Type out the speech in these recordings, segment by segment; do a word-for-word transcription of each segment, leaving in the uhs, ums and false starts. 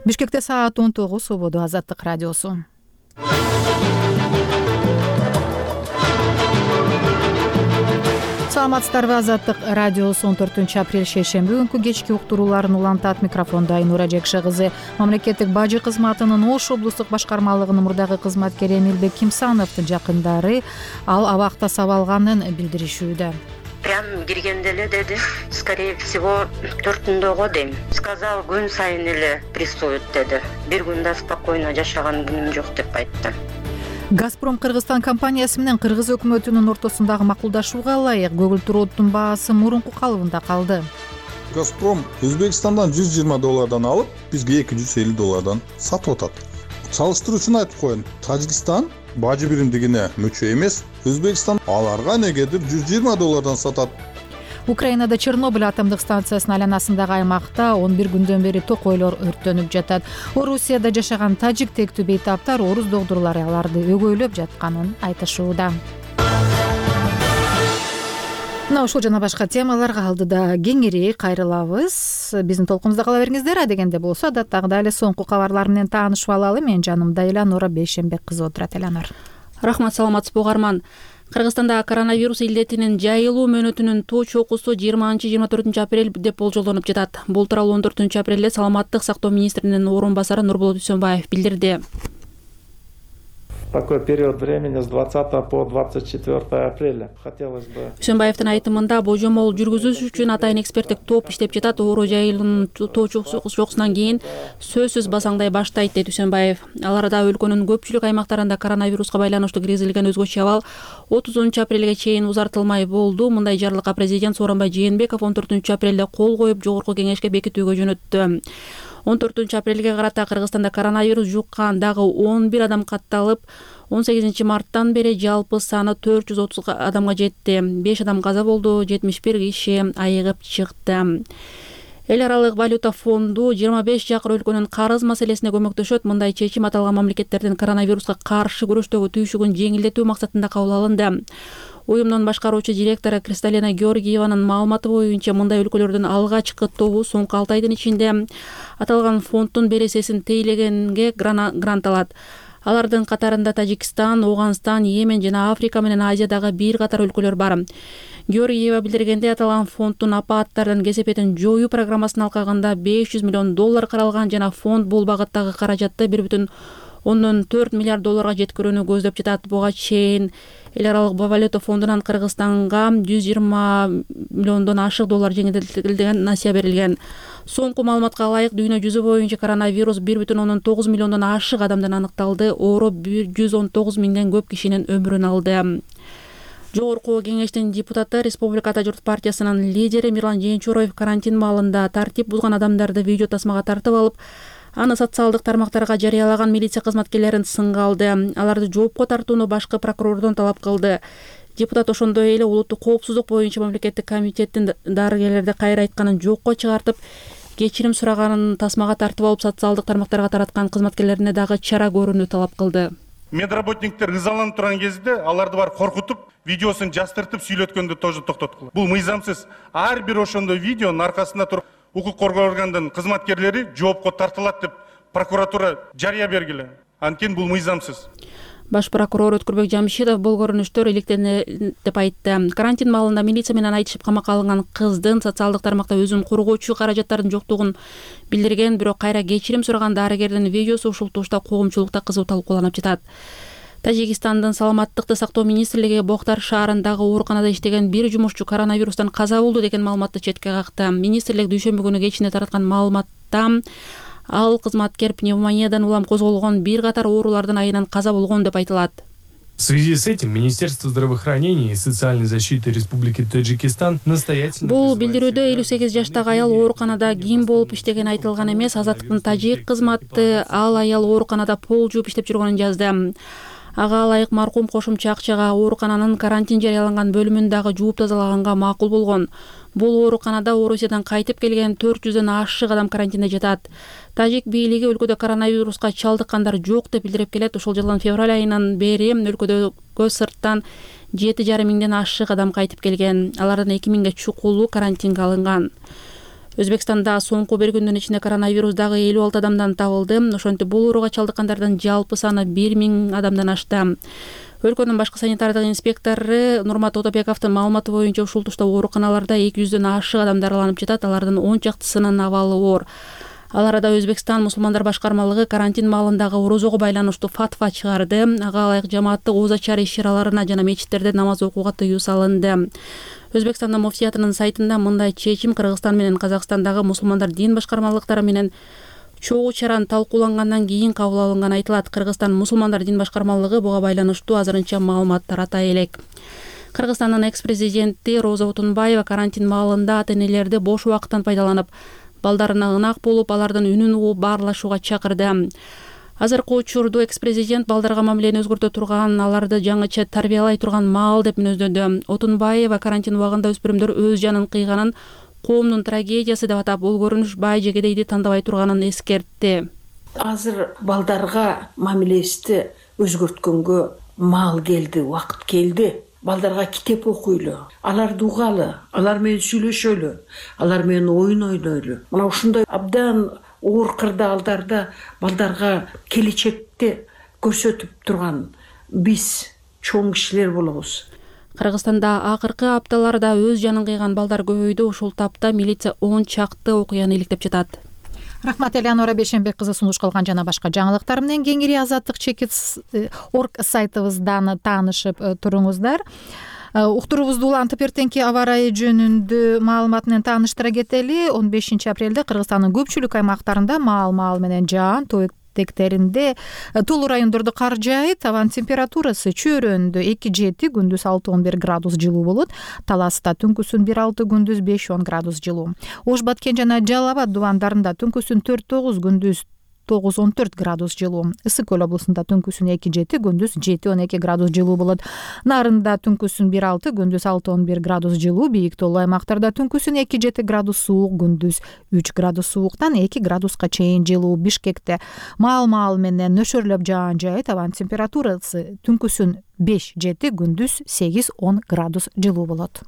Бишкекте саат он тогуз, Свобода Азаттык радиосу. Саламатсыздарбы, Азаттык радиосу он төртүнчү апрель шейшемби күнкү кечки уктурууларын улантат. Микрофондо Айнура Жекше кызы. Мамлекеттик бажы кызматынын Ош облустук башкармалыгынын мурдагы кызматкери Эмилбек Кимсановдун жакындары ал абакта сабалганын билдиришүүдө. Прям киргенде эле деди, скорее всего төртүндө го дейм. Сказал, күн сайын эле прессует деди. Бир күндө спокойно жашаган күнүм жок деп айтты. Газпром Кыргызстан компаниясы менен Кыргыз өкмөтүнүн ортосундагы макулдашууга ылайык көгүлтүр оттун баасы мурунку калыбында калды. Газпром Өзбекстандан жүз жыйырма доллардан алып, бизге эки жүз элүү доллардан сатып атат. Салыштыруу үчүн айтып коеюн, Тажикстан бажы биримдигине мүчө эмес, Өзбекстан аларга негедир жүз жыйырма доллардан сатат. Украинада Чернобыль атомдук станциясынын айланасындагы аймакта он бир күндөн бери токойлор өрттөнүп жатат. Орусияда жашаган тажик тектүү бейтаптар орус догдурлары аларды өгөйлөп жатканын айтышууда. Мына ушул жана башка темаларга алдыда кеңири кайрылабыз. Биздин толкунубузда кала бериңиздер. Адегенде болсо адаттагыдай эле соңку кабарлар менен таанышып алалы. Менин жанымда Эланора Бейшенбек кызы отурат. Эланор. Рахмат, саламатсызбы угарман. Кыргызстанда коронавирус илдетинин жайылуу мөөнөтүнүн тоо чокусу жыйырманчы жыйырма төртүнчү апрель деп болжолдонуп жатат. Бул тууралуу он төртүнчү апрелде Саламаттык сактоо министринин орун басары Нурболот Үсөнбаев билдирди. Такой период времени с двадцатого по двадцать четвёртое апреля. Хотелось бы. Үсөнбаевдин айтымында божомол жүргүзүш үчүн атайын эксперттик топ иштеп жатат. Оору жайылуунун тоо чокусунан кийин сөзсүз басаңдай баштайт, дейт Үсөнбаев. Аларда өлкөнүн көпчүлүк аймактарында коронавируска байланыштуу киргизилген өзгөчө абал отузунчу апрелге чейин узартылмай болду. Мындай жарлыкка президент Сооронбай Жээнбеков он төртүнчү апрелде кол коюп, жогорку кеңешке бекитүүгө жөнөттү. он төртүнчү апрелге карата Кыргызстанда коронавирус жуккан дагы он бир адам катталып, он сегизинчи марттан бери жалпы саны төрт жүз отуз адамга жетти. беш адам каза болду, жетимиш бир киши айыгып чыкты. Эл аралык валюта фонду жыйырма беш жакыр өлкөнүн карыз маселесине көмөктөшөт. Мындай чечим аталган мамлекеттердин коронавируска каршы күрөштөгү түйшүгүн жеңилдетүү максатында кабыл алынды. Уюмдун башкаруучу директору Кристалина Георгиеванын маалыматы боюнча, мындай өлкөлөрдүн алгачкы тобу соңку алты айдын ичинде аталган фонддун бересесин тейлегенге грант алат. Алардын катарында Тажикстан, Оганстан, Йемен жана Африка менен Азиядагы бир катар өлкөлөр бар. Георгиева билдиргендей, аталган фонддун апааттардын кесепетин жоюу программасынын алкагында беш жүз миллион доллар каралган жана фонд бул багыттагы каражатты бир бүтүн ондон төрт миллиард долларга жеткирүүнү көздөп жатат. Буга чейин Эл аралык валюта фондунан Кыргызстанга жүз жыйырма миллиондон ашык доллар жеңилдетилген насыя берилген. Соңку маалыматка ылайык, дүйнө жүзү боюнча коронавирус бир бүтүн ондон тогуз миллиондон ашык адамдан аныкталды. Оору жүз он тогуз миңден көп кишинин өмүрүн алды. Жогорку кеңештин депутаты, Республика Ата журт партиясынын лидери Мирлан Жээнчуроев карантин маалында тартип бузган адамдарды видео тасмага тартып алып, аны социалдык тармактарга жарыялаган милиция кызматкерлерин сынга алды. Аларды жоопко тартууну башкы прокурордон талап кылды. Депутат ошондой эле улуттук коопсуздук боюнча мамлекеттик комитеттин дарыгерлерди кайра айтканын жокко чыгартып, кечирим сураганын тасмага тартып алып, социалдык тармактарга тараткан кызматкерлерине дагы чара көрүүнү талап кылды. Медработниктер ызаланып турган кезде аларды бар коркутуп, видеосун жастыртып сөйлөткөндү тоже токтоткула. Бул мыйзамсыз. Ар бир ошондой видеонун аркасында туруп, укук коргоо органдын кызматкерлери жоопко тартылат деп прокуратура жарыя бергиле. Анткени бул мыйзамсыз. Баш прокурор Өткүрбек Жамшитов бул көрүнүштөр иликтене деп айтты. Карантин маалында милиция менен айтышып камакка алынган кыздын социалдык тармакта өзүн коргоочу каражаттардын жоктугун билдирген, бирок кайра кечирим сураган дарыгердин видеосу ушул тушта коомчулукта кызуу талкууланып жатат. Тажикстандын саламаттыкты сактоо министрлиги Бохтар шаарындагы ооруканада иштеген бир жумушчу коронавирустан каза болду деген маалыматты четке какты. Министрлик дүйшөмбү күнү кечинде тараткан маалыматта ал кызматкер пневмониядан улам козголгон бир катар оорулардын айынан каза болгон деп айтылат. В связи с этим Министерство здравоохранения и социальной защиты Республики Таджикистан настоятельно... Бул билдирүүдө элүү сегиз жаштагы аял ооруканада ким болуп иштеген айтылган эмес. Азаттыктын тажик кызматы ал аял ооруканада пол жууп иштеп жүргөнүн жазды. Ага ылайык маркум кошумча акчага оорукананын карантин жарыяланган бөлүмүн дагы жууп тазалаганга макул болгон. Бул ооруканада Орусиядан кайтып келген төрт жүздөн ашык адам карантинде жатат. Тажик бийлиги өлкөдө коронавируска чалдыккандар жок деп билдирип келет. Ошол жылдын февраль айынан бери өлкөдөгө сырттан жети жарым миңден ашык адам кайтып келген. Алардын эки миңге чукулу карантинге алынган. Өзбекстанда соңку бир күндүн ичинде коронавирус дагы элүү алты адамдан табылды. Ошентип бул ооруга чалдыккандардын жалпы саны бир миң адамдан ашты. Өлкөнүн башкы санитардык инспектору Нурмат Отобековдун маалыматы боюнча ушул тушта ооруканаларда эки жүздөн ашык адам дарыланып жатат. Алардын он чактысынын абалы оор. Ал арада Өзбекстан мусулмандар башкармалыгы карантин маалындагы орозого байланыштуу фатва чыгарды. Ага ылайык жамааттык ооз ачар иш-чараларына жана мечиттерде намаз окууга тыюу салынды. Өзбекстандын муфтиятынын сайтында мындай чечим Кыргызстан менен Казакстандагы мусулмандар дин башкармалыктары менен чогуу чараны талкуулангандан кийин кабыл алынганы айтылат. Кыргызстан мусулмандар дин башкармалыгы буга байланыштуу азырынча маалымат таратай элек. Кыргызстандын экс-президенти Роза Отунбаева карантин маалында ата-энелерди бош убакыттан пайдаланып, балдарына ынак болуп, алардын үнүн угуп баарлашууга чакырды. Азыркы учурда экс-президент балдарга мамилени өзгөртө турган, аларды жаңыча тарбиялай турган маал деп мүнөздөдү. Отунбаева карантин убагында өспүрүмдөр өз жанын кыйганын коомдун трагедиясы деп атап, бул көрүнүш бай жегедейди тандабай турганын эскертти. Азыр балдарга мамилебизди өзгөрткөнгө маал келди, убакыт келди. Балдарга китеп окуйлу, аларды угалы, алар менен сүйлөшөлү, алар менен оюн ойнойлу. Мына ушундай абдан оор кырдаалдарда балдарга келечекти көрсөтүп турган биз чоң кишилер болобуз. Кыргызстанда акыркы апталарда өз жанын кыйган балдар көбөйдү. Ушул тапта милиция он чакты окуяны иликтеп жатат. Рахмат, Элеонора Бейшенбек кызы сунуш кылган жана башка жаңылыктар менен кеңири азаттык чекит орг сайтыбыздан таанышып туруңуздар. Уктуруубузду улантып эртеңки аба ырайы жөнүндө маалымат менен тааныштыра кетели. он бешинчи апрелде Кыргызстандын көпчүлүк аймактарында маал-маал менен жаан, тоо тектеринде тулуу райондордо кар жаайт. Абанын температурасы чөйрөндө эки жети, күндүз алты он бир градус жылуу болот. Таласта түнкүсүн бир алты, күндүз беш он градус жылуу. Ош Баткен жана Жалал Абад дубандарында түнкүсүн төрт тогуз, күндүз тогуз он төрт градус жылуу. Ысык Көл облусунда түнкүсүн эки жети, күндүз жети он эки градус жылуу болот. Нарында түнкүсүн бир алты, күндүз алты он бир градус жылуу. Бийик тоолуу аймактарда түнкүсүн эки жети градус суук, күндүз үч градус сууктан эки градуска чейин жылуу. Бишкекте маал-маал менен нөшөрлөп жаан жаайт. Абанын температурасы түнкүсүн беш жети, күндүз сегиз он градус жылуу болот.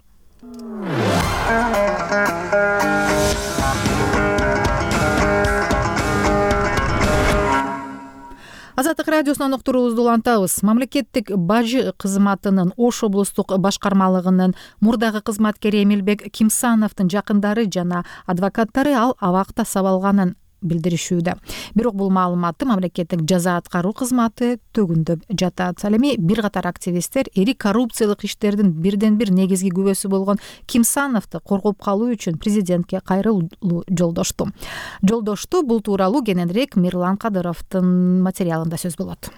Азаттык радиосунан уктуруубузду улантабыз. Мамлекеттик бажы кызматынын Ош облустук башкармалыгынын мурдагы кызматкери Эмилбек Кимсановдун жакындары жана адвокаттары ал абакта сабалганын билдиришүүдө. Бирок бул маалыматты мамлекеттик жаза аткаруу кызматы төгүндөп жатат. Ал эми бир катар активисттер ири коррупциялык иштердин бирден бир негизги күбөсү болгон Кимсановду коргоп калуу үчүн президентке кайрылуу жолдошту. Жолдошту бул тууралуу кененирээк Мирлан Кадыровдун материалында сөз болот.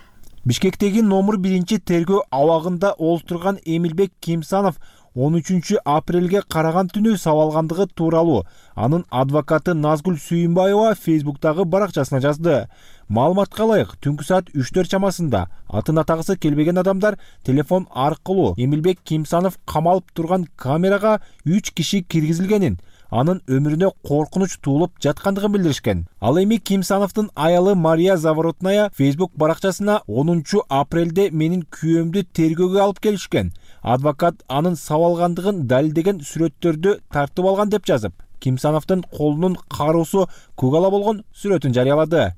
Бишкектеги номер биринчи тергөө абагында олтурган Эмилбек Кимсанов он үчүнчү апрелге караган түнү сабалгандыгы тууралуу анын адвокаты Назгүл Сүйүнбаева Фейсбуктагы баракчасына жазды. Маалыматка ылайык, түнкү саат үчтөр чамасында атын атагысы келбеген адамдар телефон аркылуу Эмилбек Кимсанов камалып турган камерага үч киши киргизилгенин, анын өмүрүнө коркунуч туулуп жаткандыгын билдиришкен. Ал эми Кимсановдун аялы Мария Заворотная Фейсбук баракчасына онунчу апрелде менин күйөөмдү тергөөгө алып келишкен. Адвокат анын сабалгандыгын далилдеген сүрөттөрдү тартып алган деп жазып, Кимсановдун колунун кароосу көк ала болгон сүрөтүн жарыялады.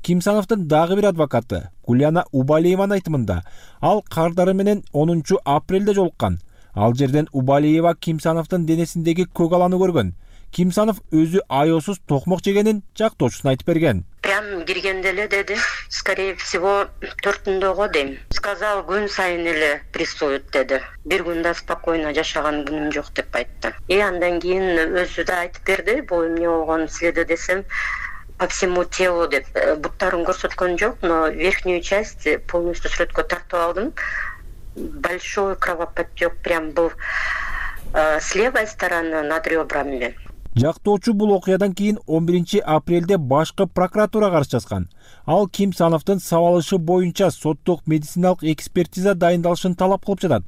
Кимсановдун дагы бир адвокаты Гуляна Убалиеванын айтымында, ал кардары менен онунчу апрелде жолуккан. Ал жерден Убалиева Кимсановдун денесиндеги көк аланы көргөн. Кимсанов өзү аеосуз токмок жегенин жактоочусуна айтып берген. Прям киргенде эле деди, скорее всего, төртүндөгө дейм. Сказал, күн сайын эле прессуют деди. Бир күн да спокойно жашаган күнүм жок деп айтты. И андан кийин өзү да айтып берди, бул эмне болгон силерде десем, по всему телу деп. Буттарын көрсөткөн жок, но верхнюю часть полностью сүрөткө тартып алдым. Большой кровоподтек прям был э, с левой стороны над ребрами. Жактоочу бул окуядан кийин он биринчи апрелде башкы прокуратурага арыз жазган. Ал Кимсановдун сабалышы боюнча соттук медициналык экспертиза дайындалышын талап кылып жатат.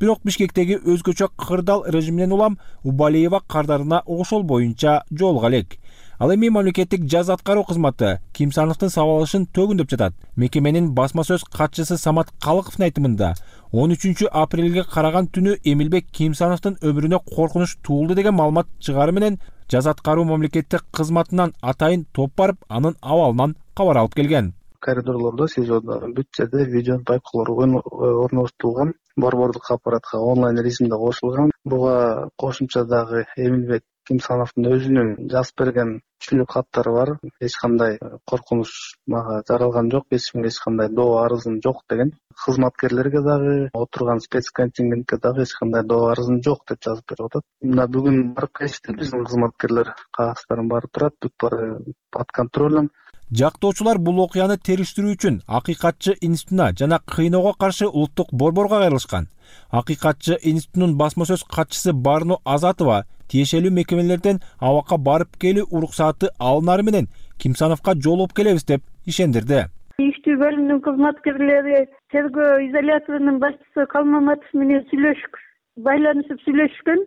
Бирок Бишкектеги өзгөчө кырдаал режиминен улам Убалиева кардарына ошол боюнча жолуга элек. Ал эми мамлекеттик жаза аткаруу кызматы Кимсановдун сабалышын төгүндөп жатат. Мекеменин басма сөз катчысы Самат Калыковдун айтымында он үчүнчү апрелге караган түнү Эмилбек Кимсановдун өмүрүнө коркунуч туулду деген маалымат чыгары менен жаза аткаруу мамлекеттик кызматынан атайын топ барып, анын абалынан кабар алып келген. Коридорлордо, СИЗОдо бүт жерде видео байкоолор орноштурулган, борбордук аппаратка онлайн режимде кошулган. Буга кошумча дагы Эмилбек Кимсановдун өзүнүн жазып берген түшүнүк каттары бар. Эч кандай коркунуч мага жаралган жок, эч кимге эч кандай доо арызым жок деген. Кызматкерлерге дагы, отурган спецконтингентке дагы эч кандай доо арызым жок деп жазып берип атат. Мына бүгүн барып келишти биздин кызматкерлер, кагаздарым баары турат, бүт баары под контролем. Жактоочулар бул окуяны териштирүү үчүн Акыйкатчы институтуна жана кыйноого каршы улуттук борборго кайрылышкан. Акыйкатчы институтунун басма сөз катчысы Барну Азатова тиешелүү мекемелерден абакка барып келүү уруксаты алынары менен Кимсановго жолугуп келебиз деп ишендирди. Иштүү бөлүмүнүн кызматкерлери тергөө изоляторунун башчысы Калмаматов менен сүйлөшүп, байланышып сүйлөшкөн.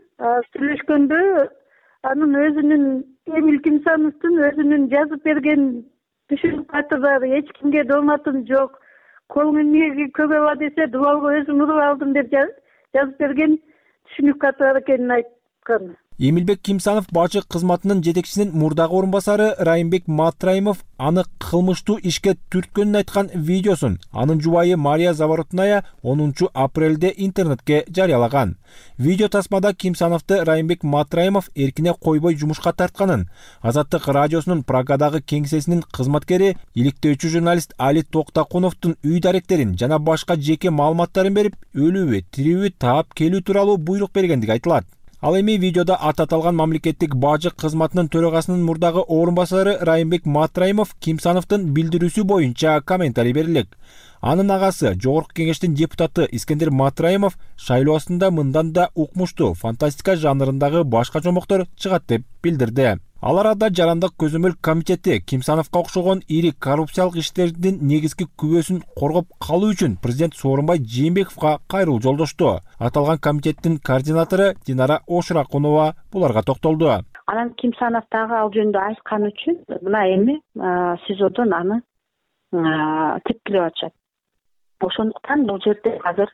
Сүйлөшкөндө анын өзүнүн Эмил Кимсановдун өзүнүн жазып берген түшүнүк каты бар, эч кимге дооматым жок. Колуң эмнеге көгөба десе, дубалга өзүм уруп алдым деп жазып берген түшүнүк каты бар экенин айткан. Эмилбек Кимсанов бажы кызматынын жетекчисинин мурдагы орун басары Райымбек Матраимов аны кылмыштуу ишке түрткөнүн айткан видеосун анын жубайы Мария Заворотная онунчу апрелде интернетке жарыялаган. Видео тасмада Кимсановду Райымбек Матраимов эркине койбой жумушка тартканын, Азаттык радиосунун Прагадагы кеңсесинин кызматкери иликтөөчү журналист Али Токтакуновдун үй даректерин жана башка жеке маалыматтарын берип, өлүүбү, тирүүбү таап келүү тууралуу буйрук бергендиги айтылат. Ал эми видеодо аты аталган мамлекеттик бажы кызматынын төрагасынын мурдагы орун басары Райымбек Матраимов Кимсановдун билдирүүсү боюнча комментарий берилек. Анын агасы Жогорку кеңештин депутаты Искендер Матраимов шайлоо астында мындан да укмуштуу фантастика жанрындагы башка жомоктор чыгат деп билдирди. Ал арада Жарандык көзөмөл комитети Кимсановго окшогон ири коррупциялык иштердин негизги күбөсүн коргоп калуу үчүн президент Сооронбай Жээнбековго кайрылуу жолдошту. Аталган комитеттин координатору Динара Ошуракунова буларга токтолду. Анан Кимсанов дагы ал жөнүндө айткан үчүн мына эми СИЗОдон аны тепкилеп атышат. Ошондуктан бул жерде азыр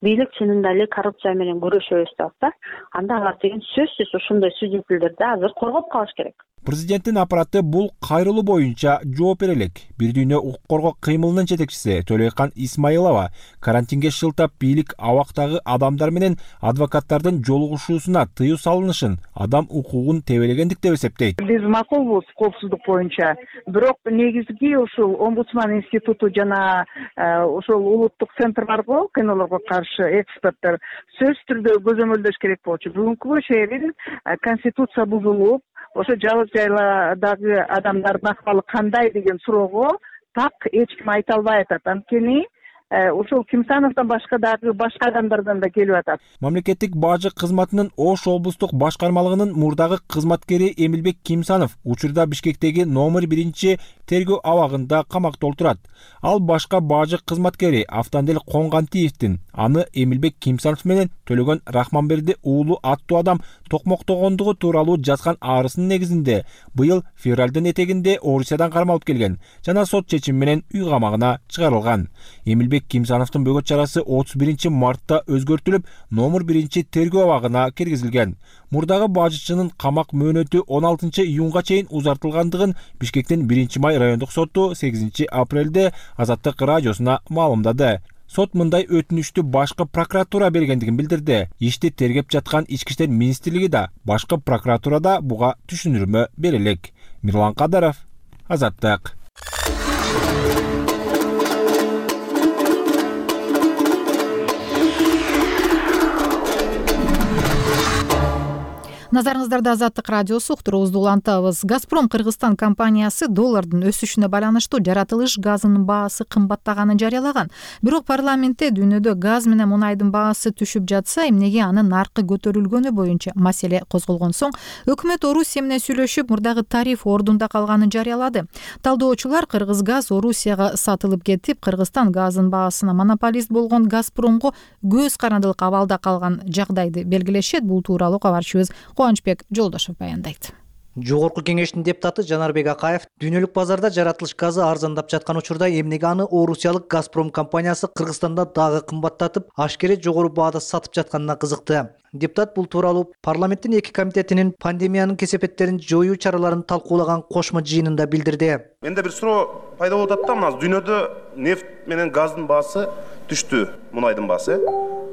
бийлик чынында эле коррупция менен күрөшөбүз деп атса, анда алар деген сөзсүз ошондой свидетелдерди азыр коргоп калыш керек. Президенттин аппараты бул кайрылуу боюнча жооп бере элек. Бир дүйнө укук коргоо кыймылынын жетекчиси Төлөйкан Исмаилова карантинге шылтап бийлик абактагы адамдар менен адвокаттардын жолугушуусуна тыюу салынышын адам укугун тебелегендик деп эсептейт. Биз макулбуз коопсуздук боюнча, бирок негизги ушул омбудсман институту жана ошол улуттук центр барбы, кыйноолорго каршы эксперттер сөзсүз түрдө көзөмөлдөш керек болчу. Бүгүнкү шээрин конституция бузулуп, ошо жалгыз жайладагы адамдардын акыбалы кандай деген суроого так эч ким айта албай атат. Анткени ошол Кимсановдон башка дагы башка адамдардан да келип атат. Мамлекеттик бажы кызматынын Ош облустук башкармалыгынын мурдагы кызматкери Эмилбек Кимсанов учурда Бишкектеги номер биринчи тергөө абагында камакта отурат. Ал башка бажы кызматкери Автандел Конгантиевдин аны Эмилбек Кимсанов менен Төлөгөн Рахманберди уулу аттуу адам токмоктогондугу тууралуу жазган арызынын негизинде быйыл февралдын этегинде Орусиядан кармалып келген жана сот чечими менен үй камагына чыгарылган. Эмилбек Кимсановдун бөгөт чарасы отуз биринчи мартта өзгөртүлүп, номер биринчи тергөө абагына киргизилген. Мурдагы бажычынын камак мөөнөтү он алтынчы июнга чейин узартылгандыгын Бишкектин биринчи май райондук соту сегизинчи апрелде Азаттык радиосуна маалымдады. Сот мындай өтүнүштү башкы прокуратура бергендигин билдирди. Ишти тергеп жаткан Ички иштер министрлиги да, башкы прокуратурада буга түшүндүрмө берилек. Мирлан Кадаров, Азаттык. Назарыңыздарда Азаттык радиосу уктуруубузду улантабыз. Газпром Кыргызстан компаниясы доллардын өсүшүнө байланыштуу жаратылыш газынын баасы кымбаттаганын жарыялаган. Бирок парламентте дүйнөдө газ менен мунайдын баасы түшүп жатса, эмнеге анын наркы көтөрүлгөнү боюнча маселе козголгон соң, өкмөт Орусия менен сүйлөшүп, мурдагы тариф ордунда калганын жарыялады. Талдоочулар Кыргыз газ Орусияга сатылып кетип, Кыргызстан газынын баасына монополист болгон Газпромго көз карандылык абалда калган жагдайды белгилешет. Бул тууралуу кабарчыбыз Кубанычбек Жолдошов баяндайт. Жогорку кеңештин депутаты Жанарбек Акаев дүйнөлүк базарда жаратылыш газы арзандап жаткан учурда эмнеге аны орусиялык Газпром компаниясы Кыргызстанда дагы кымбаттатып, ашкере жогору баада сатып жатканына кызыкты. Депутат бул тууралуу парламенттин эки комитетинин пандемиянын кесепеттерин жоюу чараларын талкуулаган кошмо жыйынында билдирди. Менде бир суроо пайда болуп атат да, мына дүйнөдө нефть менен газдын баасы түштү, мунайдын баасы.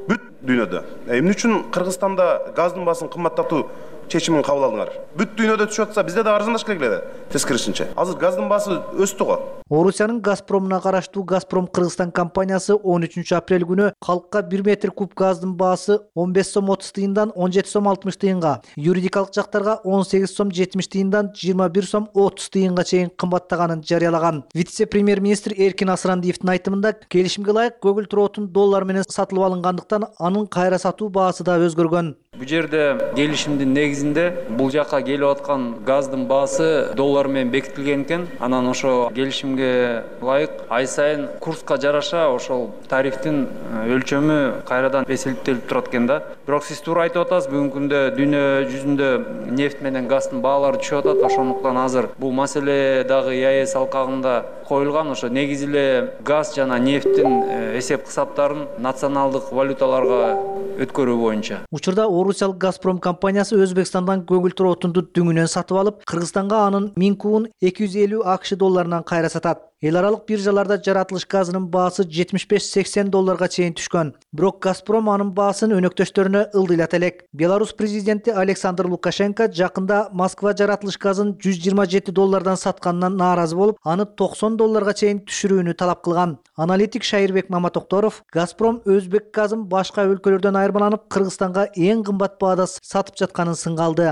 Бүт дүйнөдө. Эмне үчүн Кыргызстанда газдын баасын кымбаттатуу чечимин кабыл алдыңар? Бүт дүйнөдө түшүп атса, бизде да арзандаш керек эле. Тескерисинче. Азыр газдын баасы өстү го. Орусиянын Газпромуна караштуу Газпром Кыргызстан компаниясы он үчүнчү апрель күнү калкка бир метр куб газдын баасы он беш сом отуз тыйындан он жети сом алтымыш тыйынга, юридикалык жактарга он сегиз сом жетимиш тыйындан жыйырма бир сом отуз тыйынга чейин кымбаттаганын жарыялаган. Вице-премьер-министр Эркин Асырандиевдин айтымында, келишимге ылайык көгүлтүр отун доллар менен сатылып алынгандыктан анын кайра сатуу баасы да өзгөргөн. Бул жерде келишимдин негизинде бул жака келип аткан газдын баасы доллар менен бекитилген экен. Анан ошо келишимге ылайык ай сайын курска жараша ошол тарифтин өлчөмү кайрадан эсептелип турат экен да. Бирок сиз туура айтып атасыз, бүгүнкү күндө дүйнө жүзүндө нефть менен газдын баалары түшүп атат. Ошондуктан азыр бул маселе дагы ЕАЭС алкагында коюлган. Ошо негизи эле газ жана нефттин эсеп кысаптарын националдык валюталарга өткөрүү боюнча. Учурда орусиялык Газпром компаниясы Өзбекстандан көгүлтүр отунду дүңүнөн сатып алып, Кыргызстанга анын миң кубун эки жүз элүү акш долларынан кайра сатат. Эл аралык биржаларда жаратылыш газынын баасы жетимиш беш сексен долларга чейин түшкөн. Бирок Газпром анын баасын өнөктөштөрүнө ылдыйлат элек. Беларусь президенти Александр Лукашенко жакында Москва жаратылыш газын жүз жыйырма жети доллардан сатканынан нааразы болуп, аны токсон долларга чейин түшүрүүнү талап кылган. Аналитик Шайырбек Маматокторов Газпром өзбек газын башка өлкөлөрдөн айырмаланып, Кыргызстанга эң кымбат баада сатып жатканын сынга алды.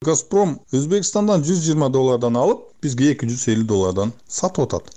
Газпром Өзбекстандан жүз жыйырма доллардан алып, бизге эки жүз элүү доллардан сатып атат.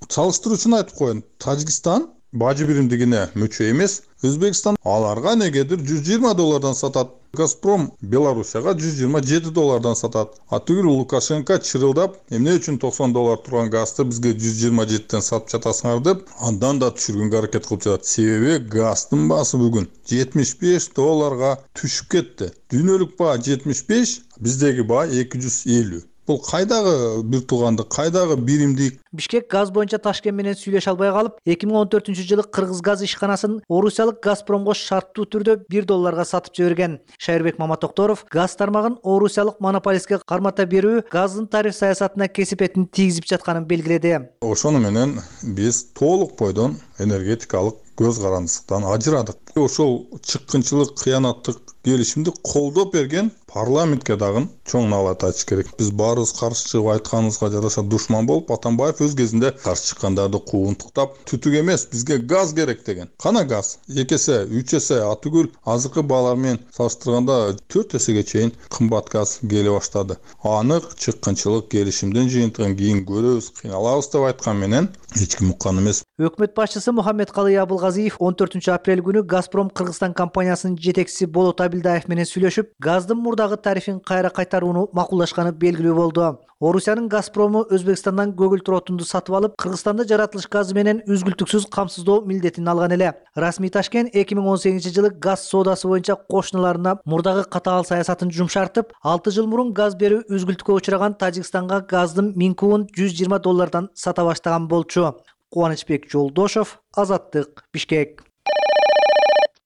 Салыштыруу үчүн айтып коеюн, Тажикстан бажы биримдигине мүчө эмес, Өзбекстан аларга негедир жүз жыйырма доллардан сатат. Газпром Белоруссияга жүз жыйырма жети доллардан сатат. А түгүл Лукашенко чырылдап, эмне үчүн токсон доллар турган газды бизге жүз жыйырма жетиден сатып жатасыңар деп, андан да түшүргөнгө аракет кылып жатат. Себеби газдын баасы бүгүн жетимиш беш долларга түшүп кетти. Дүйнөлүк баа жетимиш беш, биздеги баа эки жүз элүү. Бул кайдагы бир тууганды, кайдагы биримдик? Бишкек газ боюнча Ташкент менен сүйлөшө албай калып, эки миң он төртүнчү жылы Кыргыз газ ишканасын орусиялык Газпромго шарттуу түрдө бир долларга сатып жиберген. Шайырбек Маматокторов газ тармагын орусиялык монополистке кармата берүү газдын тариф саясатына кесепетин тийгизип жатканын белгиледи. Ошону менен биз толук бойдон энергетикалык көз карандысыктан ажырадык. Ошол чыккынчылык, кыянаттык келишимди колдоп берген парламентке дагы чоң налат айтыш керек. Биз баарыбыз каршы чыгып айтканыбызга жараша душман болуп, Атамбаев өз кезинде каршы чыккандарды куугунтуктап, түтүк эмес, бизге газ керек деген. Кана газ? эки эсе, үч эсе, атүгүл азыркы баалар менен салыштырганда төрт эсеге чейин кымбат газ келе баштады. Анык чыккынчылык келишимдин жыйынтыгын кийин көрөбүз, кыйналабыз деп айткан менен эч ким уккан эмес. Өкмөт башчысы Мухаммедкалый Абылгазиев он төртүнчү апрель күнү Газпром Кыргызстан компаниясынын жетекчиси Болот Абилдаев менен сүйлөшүп, газдын мурдагы тарифин кайра кайтарууну макулдашканы белгилүү болду. Орусиянын Газпрому Өзбекстандан көгүлтүр отунду сатып алып, Кыргызстанда жаратылыш газы менен үзгүлтүксүз камсыздоо милдетин алган эле. Расмий Ташкент эки миң он сегизинчи жылы газ соодасы боюнча кошуналарына мурдагы катаал саясатын жумшартып, алты жыл мурун газ берүү үзгүлтүккө учураган Тажикстанга газдын миң кубун жүз жыйырма доллардан сата баштаган болчу. Кубанычбек Жолдошов, Азаттык, Бишкек.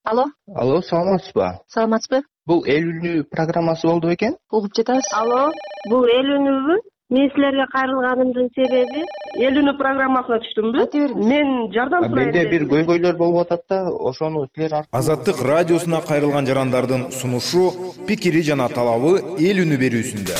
Алло. Алло, саламатсызбы? Саламатсызбы? Бул эл үнү программасы болду бекен? Угуп жатабыз. Алло, бул эл үнүбү? Мен силерге кайрылганымдын себеби эл үнү программасына түштүмбү? Мен жардам сурайм. Менде бир көйгөйлөр болуп атат да, ошону силер Азаттык радиосуна кайрылган жарандардын сунушу, пикири жана талабы эл үнү берүүсүндө.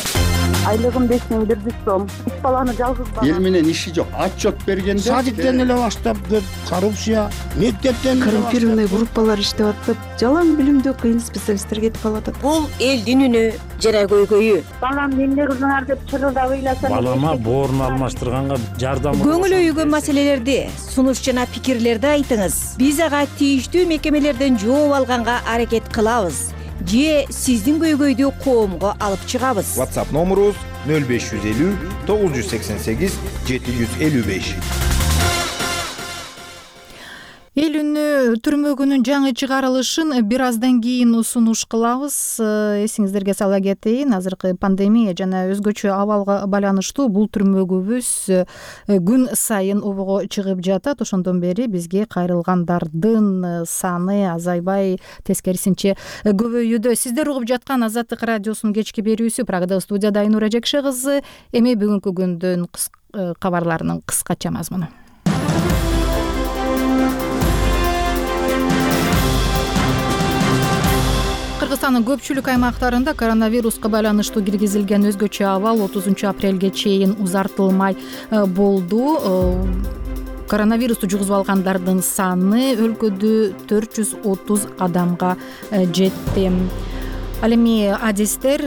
Айлыгым беш миң бир жүз сом. Үч баланы жалгыз бала. Эл менен иши жок. Отчет бергенде садиктен эле баштап кеп, коррупция, мектептен коррумпированный группалар иштеп атып, жалаң билимдүү кыйын специалисттер кетип калатат. Бул элдин үнү жара көйгөйү. Балам эмне кылдыңар деп чырылдап ыйласам. Балама боорун алмаштырганга жардам. Көңүл өйгөн маселелерди, сунуш жана пикирлерди айтыңыз. Биз ага тийиштүү мекемелерден жооп алганга аракет кылабыз. Же сиздин көйгөйдү коомго алып чыгабыз. WhatsApp номерубуз нөл беш жүз элүү тогуз жүз сексен сегиз жети жүз элүү беш. Эл үнү түрмөгүнүн жаңы чыгарылышын бир аздан кийин сунуш кылабыз. Эсиңиздерге сала кетейин, азыркы пандемия жана өзгөчө абалга байланыштуу бул түрмөгүбүз күн сайын обого чыгып жатат. Ошондон бери бизге кайрылгандардын саны азайбай, тескерисинче көбөйүүдө. Сиздер угуп жаткан Азаттык радиосунун кечки берүүсү Прагада студияда Айнура Жекше кызы. Эми бүгүнкү күндүн кабарларынын кыскача мазмуну. Кыргызстандын көпчүлүк аймактарында коронавируска байланыштуу киргизилген өзгөчө абал отузунчу апрелге чейин узартылмай болду. Коронавирусту жугузуп алгандардын саны өлкөдө төрт жүз отуз адамга жетти. Ал эми адистер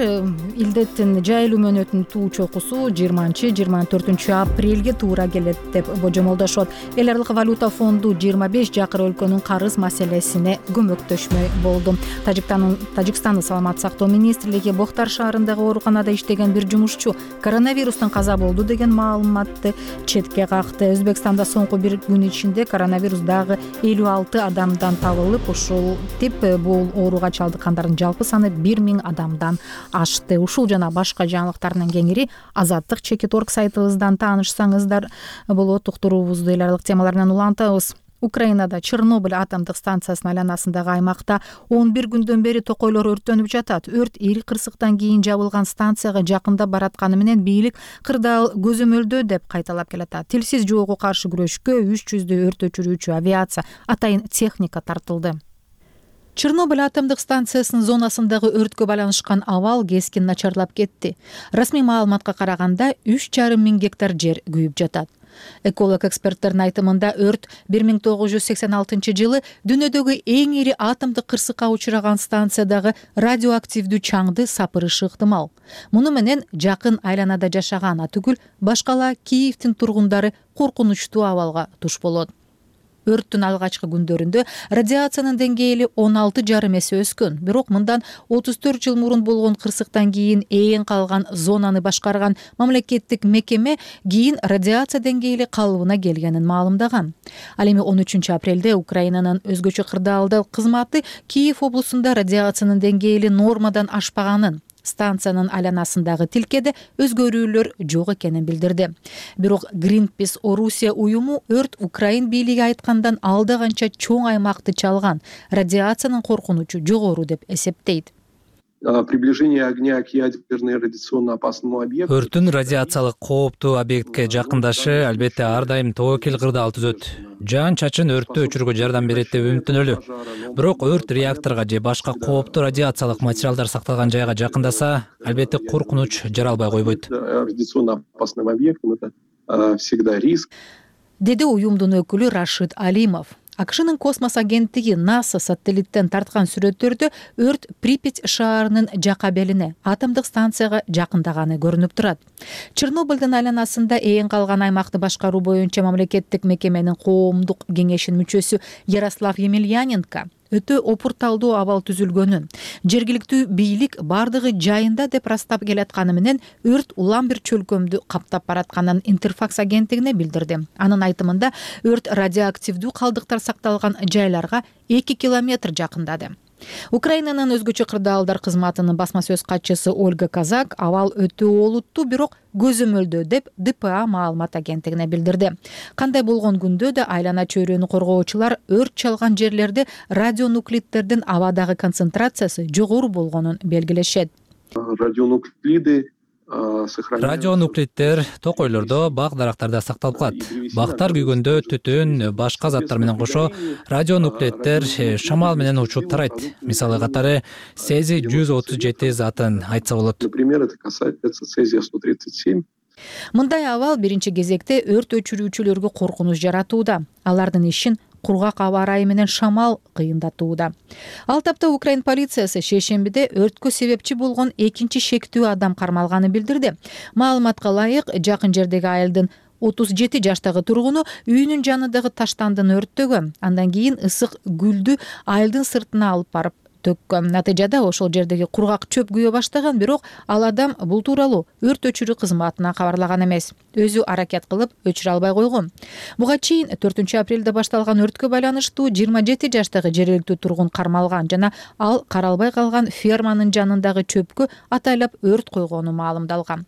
илдеттин жайылуу мөөнөтүнүн туу чокусу жыйырманчы жыйырма төртүнчү апрелге туура келет деп божомолдошот. Эл аралык валюта фонду жыйырма беш жакыр өлкөнүн карыз маселесине көмөктөшмөй болду. Тажикстандын саламаттык сактоо министрлиги Бохтар шаарындагы ооруканада иштеген бир жумушчу коронавирустан каза болду деген маалыматты четке какты. Өзбекстанда соңку бир күн ичинде коронавирус дагы элүү алты адамдан табылып, ушул тип бул ооруга чалдыккандардын жалпы саны бир миң адамдан ашты. Ушул жана башка жаңылыктардын кеңири Азаттык чекит точка орг сайтыбыздан таанышсаңыздар болот. Уктуруубузду эл аралык темаларынан улантабыз. Украинада Чернобыль атомдук станциясынын айланасындагы аймакта он бир күндөн бери токойлор өрттөнүп жатат. Өрт ири кырсыктан кийин жабылган станцияга жакындап баратканы менен бийлик кырдаал көзөмөлдөө деп кайталап келатат. Тилсиз жоого каршы күрөшкө үч жүздөй өрт өчүрүүчү авиация, атайын техника тартылды. Чернобыль атомдук станциясынын зонасындагы өрткө байланышкан абал кескин начарлап кетти. Расмий маалыматка караганда үч жарым миң гектар жер күйүп жатат. Эколог эксперттердин айтымында өрт бир миң тогуз жүз сексен алтынчы жылы дүйнөдөгү эң ири атомдук кырсыкка учураган станциядагы радиоактивдүү чаңды сапырышы ыктымал. Муну менен жакын айланада жашаган түгүл башкала Киевдин тургундары коркунучтуу абалга туш болот. Өрттүн алгачкы күндөрүндө радиациянын деңгээли он алты жарым эсе өскөн. Бирок мындан отуз төрт жыл мурун болгон кырсыктан кийин ээн калган зонаны башкарган мамлекеттик мекеме кийин радиация деңгээли калыбына келгенин маалымдаган. Ал эми он үчүнчү апрелде Украинанын өзгөчө кырдаалдуу кызматы Киев облусунда радиациянын деңгээли нормадан ашпаганын, станциянын айланасындагы тилкеде өзгөрүүлөр жок экенин билдирди. Бирок Greenpeace Орусия уюму өрт Украин бийлиги айткандан алда канча чоң аймакты чалган, радиациянын коркунучу жогору деп эсептейт. Приближение огня к ядерно радиационно опасному объекту. Өрттүн радиациялык кооптуу объектке жакындашы албетте ар дайым тобокел кырдаал түзөт. Жаан чачын өрттү өчүрүүгө жардам берет деп үмүттөнөлү. Бирок өрт реакторго же башка кооптуу радиациялык материалдар сакталган жайга жакындаса, албетте коркунуч жаралбай койбойт. Радиационно опасным объектом это всегда риск. Деди уюмдун өкүлү Рашид Алимов. АКШнын космос агенттиги НАСА сателлиттен тарткан сүрөттөрдө өрт Припять шаарынын жака белине, атомдук станцияга жакындаганы көрүнүп турат. Чернобыльдын айланасында ээн калган аймакты башкаруу боюнча мамлекеттик мекеменин коомдук кеңешинин мүчөсү Ярослав Емельяненко өтө опурталдуу абал түзүлгөнүн, жергиликтүү бийлик бардыгы жайында деп ырастап келатканы менен өрт улам бир чөлкөмдү каптап баратканын Интерфакс агенттигине билдирди. Анын айтымында өрт радиоактивдүү калдыктар сакталган жайларга эки километр жакындады. Украинанын өзгөчө кырдаалдар кызматынын басма сөз катчысы Ольга Казак абал өтө олуттуу, бирок көзөмөлдөө деп Д П А маалымат агенттигине билдирди. Кандай болгон күндө да айлана чөйрөнү коргоочулар өрт чалган жерлерде радионуклиддердин абадагы концентрациясы жогору болгонун белгилешет. Радионуклиды Радионуклиддер токойлордо, бак дарактарда сакталып калат. Бактар күйгөндө түтүн, башка заттар менен кошо радионуклиддер шамал менен учуп тарайт. Мисалы катары цезий жүз отуз жети затын айтса болот. Например, это касается цезия сто тридцать семь. Мындай абал биринчи кезекте өрт өчүрүүчүлөргө коркунуч жаратууда. Алардын ишин кургак аба ырайы менен шамал кыйындатууда. Ал тапта Украин полициясы шейшембиде өрткө себепчи болгон экинчи шектүү адам кармалганын билдирди. Маалыматка ылайык, жакын жердеги айылдын отуз жети жаштагы тургуну үйүнүн жанындагы таштандын өрттөгөн. Андан кийин ысык гүлдү айылдын сыртына алып барып төккөн. Натыйжада ошол жердеги кургак чөп күйө баштаган, бирок ал адам бул тууралуу өрт өчүрүү кызматына кабарлаган эмес. Өзү аракет кылып өчүрө албай койгон. Буга чейин төртүнчү апрелде башталган өрткө байланыштуу жыйырма жети жаштагы жергиликтүү тургун кармалган жана ал каралбай калган ферманын жанындагы чөпкө атайлап өрт койгону маалымдалган.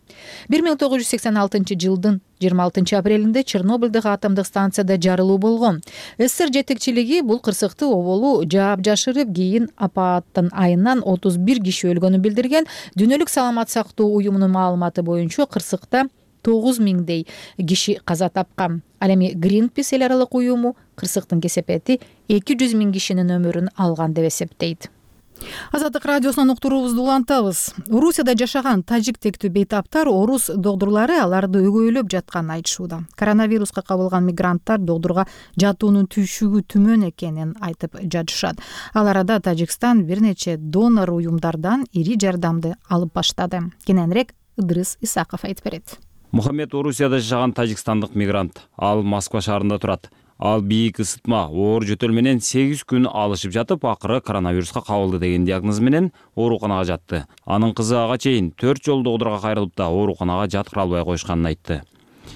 бир миң тогуз жүз сексен алтынчы жылдын жыйырма алтынчы апрелинде Чернобылдагы атомдук станцияда жарылуу болгон. СССР жетекчилиги бул кырсыкты оболу жаап жашырып, кийин апаттын айынан отуз бир киши өлгөнүн билдирген. Дүйнөлүк саламат сактоо уюмунун маалыматы боюнча кырсыкта тогуз миңдей киши каза тапкан. Ал эми Greenpeace эл аралык уюму кырсыктын кесепети эки жүз миң кишинин өмүрүн алган деп эсептейт. Азаттык радиосунун уктуруубузду улантабыз. Орусияда жашаган тажик тектүү бейтаптар орус докторлары аларды өгөйлөп жатканын айтышууда. Коронавируска кабылган мигранттар докторго жатуунун түйшүгү түмөн экенин айтып жатышат. Ал арада Тажикстан бир нече донор уюмдардан ири жардамды алып баштады. Кененирээк Ыдырыс Исаков айтып берет. Мухаммед Орусияда жашаган тажикстандык мигрант. Ал Москва шаарында турат. Ал бийик ысытма, оор жөтөл менен сегиз күн алышып жатып, акыры коронавируска кабылды деген диагноз менен ооруканага жатты. Анын кызы ага чейин төрт жолу докторго кайрылып да ооруканага жаткыра албай коюшканын айтты.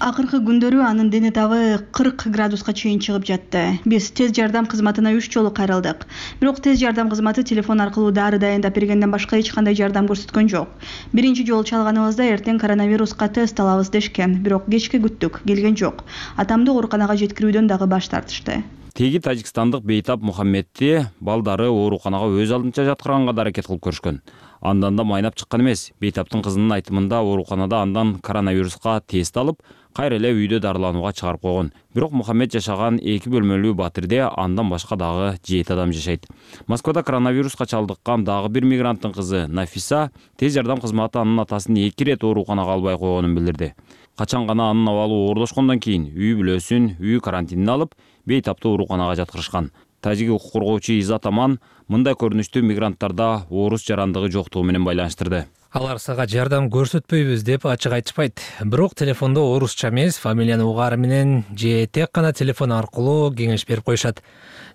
Акыркы күндөрү анын дене табы кырк градуска чейин чыгып жатты. Биз тез жардам кызматына үч жолу кайрылдык. Бирок тез жардам кызматы телефон аркылуу дары дайындап бергенден башка эч кандай жардам көрсөткөн жок. Биринчи жолу чалганыбызда эртең коронавируска тест алабыз дешкен, бирок кечке күттүк, келген жок. Атамды ооруканага жеткирүүдөн дагы баш тартышты. Теги тажикстандык бейтап Мухаммедти балдары ооруканага өз алдынча жаткырганга да аракет кылып көрүшкөн. Андан да майнап чыккан эмес. Бейтаптын кызынын айтымында ооруканада андан коронавируска тест алып, кайра эле үйдө дарыланууга чыгарып койгон. Бирок Мухаммед жашаган эки бөлмөлүү батирде андан башка дагы жети адам жашайт. Москвада коронавируска чалдыккан дагы бир мигранттын кызы Нафиса тез жардам кызматы анын атасын эки ирет ооруканага албай койгонун билдирди. Качан гана анын абалы оорлошкондон кийин үй бүлөсүн үй карантинине алып, бейтапты ооруканага жаткырышкан. Тажик укук коргоочу Изат Аман мындай көрүнүштүү мигранттарда оорус жарандыгы жоктугу менен байланыштырды. Алар сага жардам көрсөтпөйбүз деп ачык айтышпайт. Бирок телефондо орусча эмес, фамилияны угаары менен же тек гана телефон аркылуу кеңеш берип коюшат.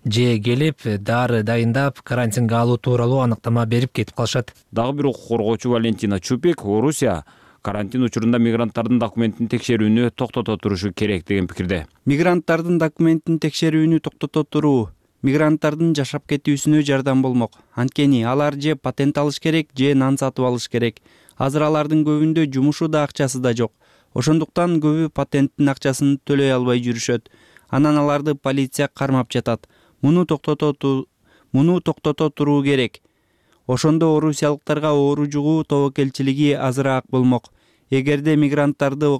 Же келип дары дайындап карантинге алуу тууралуу аныктама берип кетип калышат. Дагы бир укук коргоочу Валентина Чупик Орусия карантин учурунда мигранттардын документин текшерүүнү токтото турушу керек деген пикирде. Мигранттардын документин текшерүүнү токтото туруу мигранттардын жашап кетүүсүнө жардам болмок. Анткени алар же патент алыш керек, же нан сатып алыш керек. Азыр алардын көбүндө жумушу да акчасы да жок. Ошондуктан көбү патенттин акчасын төлөй албай жүрүшөт. Анан аларды полиция кармап жатат. Муну токтото муну токтото туруу керек. Ошондо орусиялыктарга оору жугуу тобокелчилиги азыраак болмок. Эгерде мигранттарды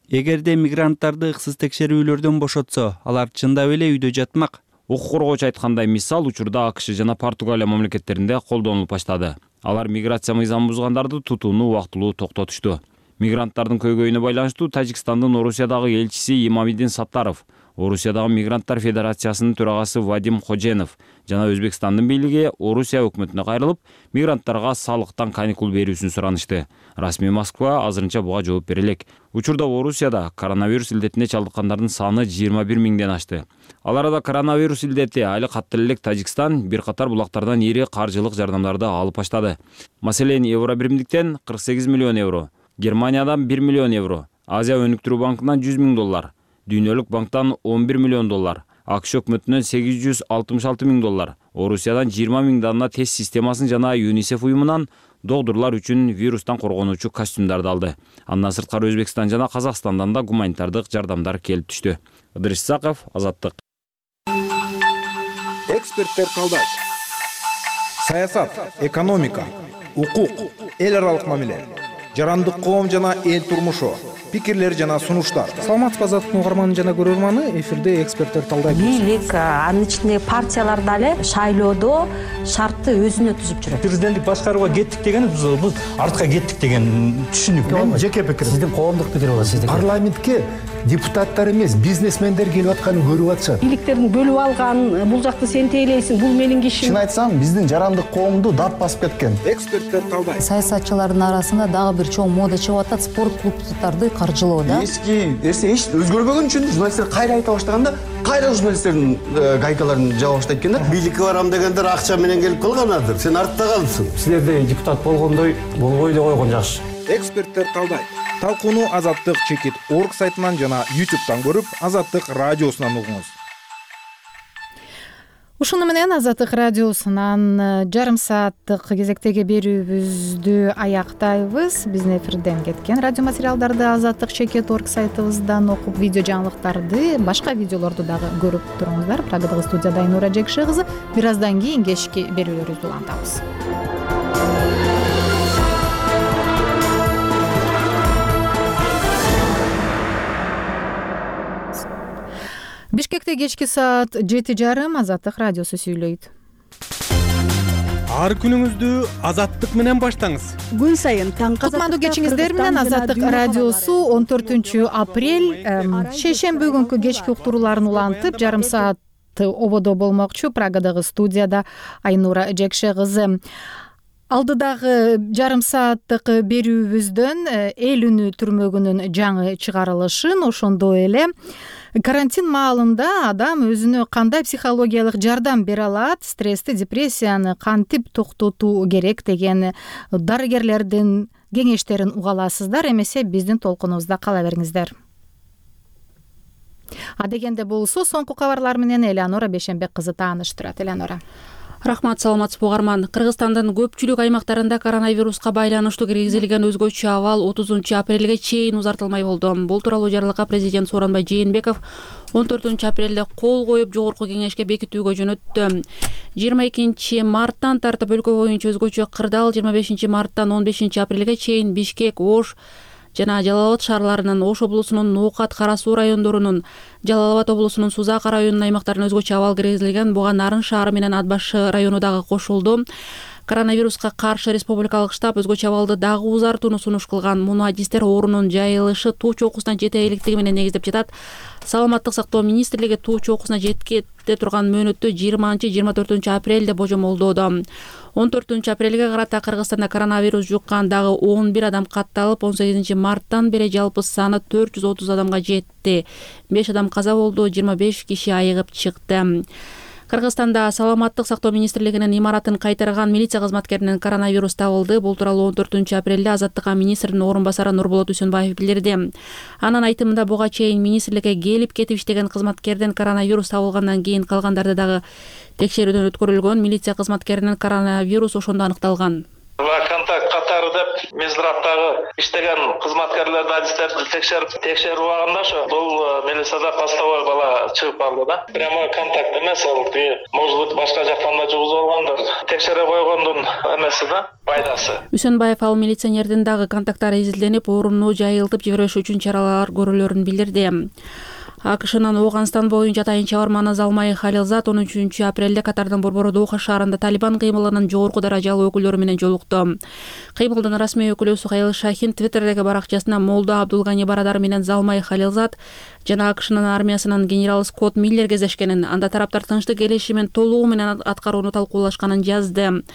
Эгерде мигранттарды ыксыз текшерүүлөрдөн бошотсо, алар чындап эле үйдө жатмак. Укук коргоочу айткандай, мисал учурда АКШ жана Португалия мамлекеттеринде колдонулуп баштады. Алар миграция мыйзамын бузгандарды тутууну убактылуу токтотушту. Мигранттардын көйгөйүнө байланыштуу Тажикстандын Орусиядагы элчиси Имамидин Саттаров, Орусиядагы Мигранттар Федерациясынын төрагасы Вадим Хоженов жана Өзбекстандын бийлиги Орусия өкмөтүнө кайрылып, мигранттарга салыктан каникул берүүсүн суранышты. Расмий Москва азырынча буга жооп бере элек. Учурда Орусияда коронавирус илдетине чалдыккандардын саны жыйырма бир миңден ашты. Ал арада коронавирус илдети али каттуу элек Тажикстан бир катар булактардан ири каржылык жардамдарды алып баштады. Маселен, Евробиримдиктен кырк сегиз миллион евро, Германиядан бир миллион евро, Азия өнүктүрүү банкынан жүз миң доллар, Дүйнөлүк банктан он бир миллион доллар, АКШ өкмөтүнөн сегиз жүз алтымыш алты миң доллар, Орусиядан жыйырма миң дана тест системасын жана ЮНИСЕФ уюмунан докторлор үчүн вирустан коргонуучу костюмдарды алды. Андан сырткары Өзбекстан жана Казакстандан да гуманитардык жардамдар келип түштү. Ыдырыс Исаков, Азаттык. Эксперттер талдайт. Саясат, экономика, укук, эл аралык мамиле, жарандык коом жана эл турмушу, пикирлер жана сунуштар. Саламатсызбы, Азаттыктын угарманы жана көрөрманы, эфирде эксперттер талдайт. Бийлик, анын ичинде партиялар дагы шайлоодо шартты өзүнө түзүп жүрөт. Президенттик башкарууга кеттик деген биз артка кеттик деген түшүнүк. Мен жеке пикирим. Сиздин коомдук пикир болот, сиздики. Парламентке депутаттар эмес, бизнесмендер келип атканын көрүп атышат. Бийликтердин бөлүп алган, бул жакты сен тейлейсиң, бул менин кишим. Чын айтсам, биздин жарандык коомду дат басып кеткен. Эксперттер талдайт. Саясатчылардын арасында дагы бир бир чоң мода чыгып атат, спорт клубдарды каржылоо да. Эски нерсе эч өзгөрбөгөн үчүн журналисттер кайра айта баштаганда кайра журналисттердин гайкаларын жаба баштайт экен да. Бийликке барам дегендер акча менен келип калганадыр. Сен артта калыпсың. Силерде депутат болгондой болбой эле койгон жакшы. Эксперттер калдайт. Талкууну Азаттык чекит орг сайтынан жана ютубтан көрүп, Азаттык радиосунан угуңуз. Ушуну менен Азаттык радиосунан жарым сааттык кезектеги берүүбүздү аяктайбыз. Биздин эфирден кеткен радио материалдарды Азаттык чекит орг сайтыбыздан окуп, видео жаңылыктарды, башка видеолорду дагы көрүп туруңуздар. Прагадагы студияда Айнура Жекше кызы. Бир аздан кийин кечки берүүлөрүбүздү улантабыз. Бишкекте кечки саат жети жарым Азаттык радиосу сүйлөйт. Ар күнүңүздү Азаттык менен баштаңыз. Күн сайын таңкы кутмандуу кечиңиздер менен Азаттык радиосу он төртүнчү апрель шейшемби күнкү кечки уктурууларын улантып, жарым саат ободо болмокчу. Прагадагы студияда Айнура Жекше кызы. Алдыдагы жарым сааттык берүүбүздөн эл үнү түрмөгүнүн жаңы чыгарылышын, ошондой эле карантин маалында адам өзүнө кандай психологиялык жардам бере алат, стрессти, депрессияны кантип токтотуу керек деген дарыгерлердин кеңештерин уга аласыздар. Эмесе биздин толкунубузда кала бериңиздер. Адегенде болсо соңку кабарлар менен Элеонора Бешенбек кызы тааныштырат. Элеонора. Рахмат, саламатсызбы угарман. Кыргызстандын көпчүлүк аймактарында коронавируска байланыштуу киргизилген өзгөчө абал отузунчу апрелге чейин узартылмай болду. Бул тууралуу жарлыкка президент Сооронбай Жээнбеков он төртүнчү апрелде кол коюп жогорку кеңешке бекитүүгө жөнөттү. жыйырма экинчи марттан тартып өлкө боюнча өзгөчө кырдаал, жыйырма бешинчи марттан он бешинчи апрелге чейин Бишкек, Ош жана Жалал Абад шаарларынын, Ош облусунун Ноокат, Кара Суу райондорунун, Жалал Абад облусунун Сузак районунун аймактарына өзгөчө абал киргизилген. Буга Нарын шаары менен Ат Башы району дагы кошулду. Коронавируска каршы республикалык штаб өзгөчө абалды дагы узартууну сунуш кылган. Муну адистер оорунун жайылышы туу чокусуна жете электиги менен негиздеп жатат. Саламаттык сактоо министрлиги туу чокусуна жеткете турган мөөнөттү жыйырманчы жыйырма төртүнчү апрелде божомолдоодо. он төртүнчү апрелге карата Кыргызстанда коронавирус жуккан дагы он бир адам катталып, он сегизинчи марттан бери жалпы саны төрт жүз отуз адамга жетти. беш адам каза болду, жыйырма беш киши айыгып чыкты. Кыргызстанда Саламаттык сактоо министрлигинин имаратын кайтарган милиция кызматкеринин коронавирус табылды. Бул тууралуу он төртүнчү апрелде Азаттыкка министрдин орун басары Нурболот Үсөнбаев билдирди. Анын айтымында буга чейин министрликке келип кетип иштеген кызматкерден коронавирус табылгандан кийин калгандарды дагы текшерүүдөн өткөрүлгөн. Милиция кызматкеринин коронавирус ошондо аныкталган. Контакт катары деп Мизраптагы иштеген кызматкерлерди, адистерди текшерип текшерип алганда ошо бул милицияда постовой бала чыгып калды да. Прямо контакт эмес, ал может быть башка жактан да жугузуп алгандыр. Текшере койгондун эмеси да, пайдасы. Үсөнбаев ал милиционердин дагы контакттары изилденип, орунду жайылтып жибербеш үчүн чаралар көрүлөрүн билдирди. АКШнын Ооганстан боюнча атайын чабарманы Залмай Халилзат он үчүнчү апрелде Катардын борбору Доха шаарында Талибан кыймылынын жогорку даражалуу өкүлдөрү менен жолукту. Кыймылдын расмий өкүлү Сухаил Шахин Твиттердеги баракчасына Молда Абдулгани Барадар менен Залмай Халилзат жана АКШнын армиясынын генералы Скотт Миллер кездешкенин, анда тараптар тынчтык келишимин толугу менен аткарууну талкуулашканын жазды.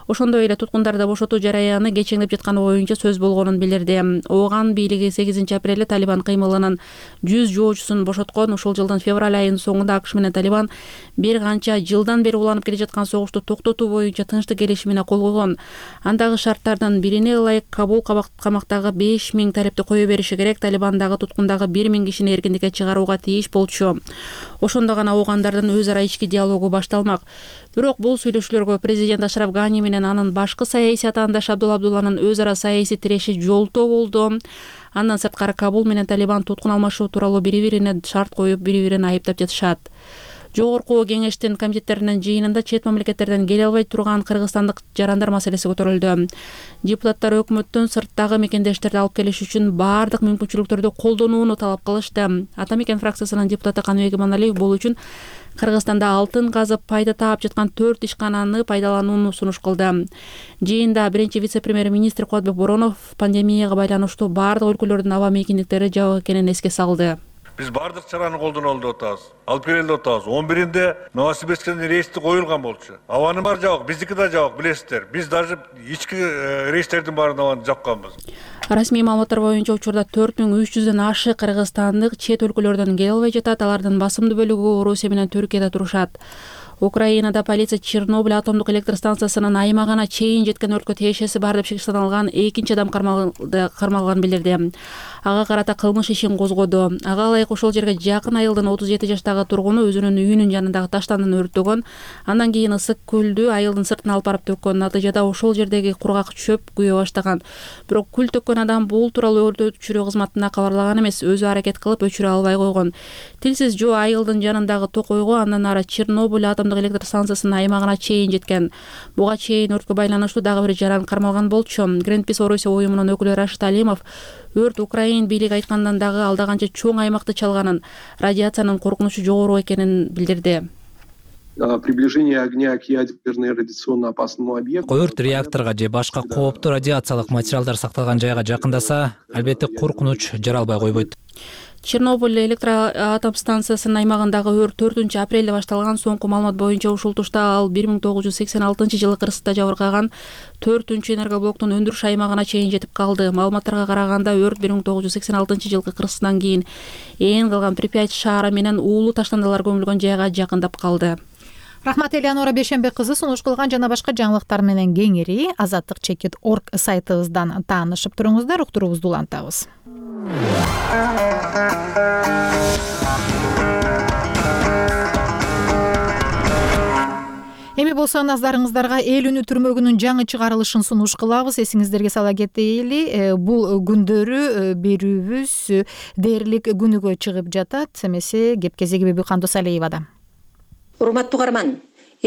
Ошондой эле туткундарды бошотуу жараяны кечеңдеп жатканы боюнча сөз болгонун билдирди. Ооган бийлиги сегизинчи апрелде Талибан кыймылынын жүз жоочусун бошоткон. Ушул жылдын февраль айынын соңунда АКШ менен Талибан бир канча жылдан бери уланып келе жаткан согушту токтотуу боюнча тынчтык келишимине кол койгон. Андагы шарттардын бирине ылайык Кабул камактагы беш миң талепти кое бериши керек. Талибандагы туткундагы бир миң кишини эркиндикке чыгарууга тийиш болчу. Ошондо гана оогандардын өз ара ички диалогу башталмак. Бирок бул сүйлөшүүлөргө президент Ашраф Гани менен анын башкы саясий атаандаш Абдулла Абдулланын өз ара саясий тиреши жолтоо болду. Андан сырткары Кабул менен Талибан туткун алмашуу тууралуу бири-бирине шарт коюп, бири-бирин айыптап жатышат. Жогорку кеңештин комитеттеринин жыйынында чет мамлекеттерден келе албай турган кыргызстандык жарандар маселеси көтөрүлдү. Депутаттар өкмөттөн сырттагы мекендештерди алып келиш үчүн баардык мүмкүнчүлүктөрдү колдонууну талап кылышты. Ата мекен фракциясынын депутаты Каныбек Иманалиев бул үчүн Кыргызстанда алтын казып пайда таап жаткан төрт ишкананы пайдаланууну сунуш кылды. Жыйында биринчи вице-премьер-министр Кубатбек Боронов пандемияга байланыштуу баардык өлкөлөрдүн аба мейкиндиктери жабык экенин эске салды. Биз бардык чараны колдоно деп атабыз. Алып келели деп атабыз. он биринде Новосибирсктен рейсти коюлган болчу. Абанын баары жабык, биздики да жабык, билесиздер. Биз даже ички рейстердин баарын абаны жапканбыз. Расмий маалыматтар боюнча учурда төрт миң үч жүздөн ашык кыргызстандык чет өлкөлөрдөн келе албай жатат. Алардын басымдуу бөлүгү Орусия менен Түркияда турушат. Украинада полиция Чернобыль атомдук электр станциясынын аймагына чейин жеткен өрткө тиешеси бар деп шектелген экинчи адам кармалганын билдирди. Ага карата кылмыш ишин козгоду. Ага ылайык ошол жерге жакын айылдын отуз жети жаштагы тургуну өзүнүн үйүнүн жанындагы таштандын өрттөгөн. Андан кийин ысык күлдү айылдын сыртына алып барып төккөн. Натыйжада ошол жердеги кургак чөп күйө баштаган. Бирок күл төккөн адам бул тууралуу өрт өчүрүү кызматына кабарлаган эмес, өзү аракет кылып өчүрө албай койгон. Тилсиз жөө айылдын жанындагы токойго андан ары Чернобыль атомдук электр станциясынын аймагына чейин жеткен. Буга чейин өрткө байланыштуу дагы бир жаран кармалган болчу. Greenpeace Орусия уюмунун өкүлү Рашид Алимов өрт Украин бийлиги айткандан дагы алда канча чоң аймакты чалганын, радиациянын коркунучу жогору экенин билдирди. Приближение огня к ядерной радиационно опасному объекту. Өрт реакторго же башка кооптуу радиациялык материалдар сакталган жайга жакындаса, албетте коркунуч жаралбай койбойт. Чернобыль электр атом станциясынын аймагындагы өрт төртүнчү апрелде башталган. Соңку маалымат боюнча ушул тушта ал бир миң тогуз жүз сексен алтынчы жылы Кыргызстанда жабыркаган төртүнчү энергоблоктун өндүрүш аймагына чейин жетип калды. Маалыматтарга караганда өрт бир миң тогуз жүз сексен алтынчы жылкы Кыргызстандан кийин ээн калган Припять шаары менен уулуу таштандалар көмүлгөн жайга жакындап калды. Рахмат Элеонора Бейшенбек кызы сунуш кылган жана башка жаңылыктар менен кеңири азаттык чекит орг сайтыбыздан таанышып туруңуздар, уктуруубузду улантабыз. Эми болсо назарыңыздарга эл үнү түрмөгүнүн жаңы чыгарылышын сунуш кылабыз. Эсиңиздерге сала кетели, бул күндөрү берүүбүз дээрлик күнүгө чыгып жатат. Эмесе кеп кезеги Бибү Кандосалиевада. Урматтуу угарман,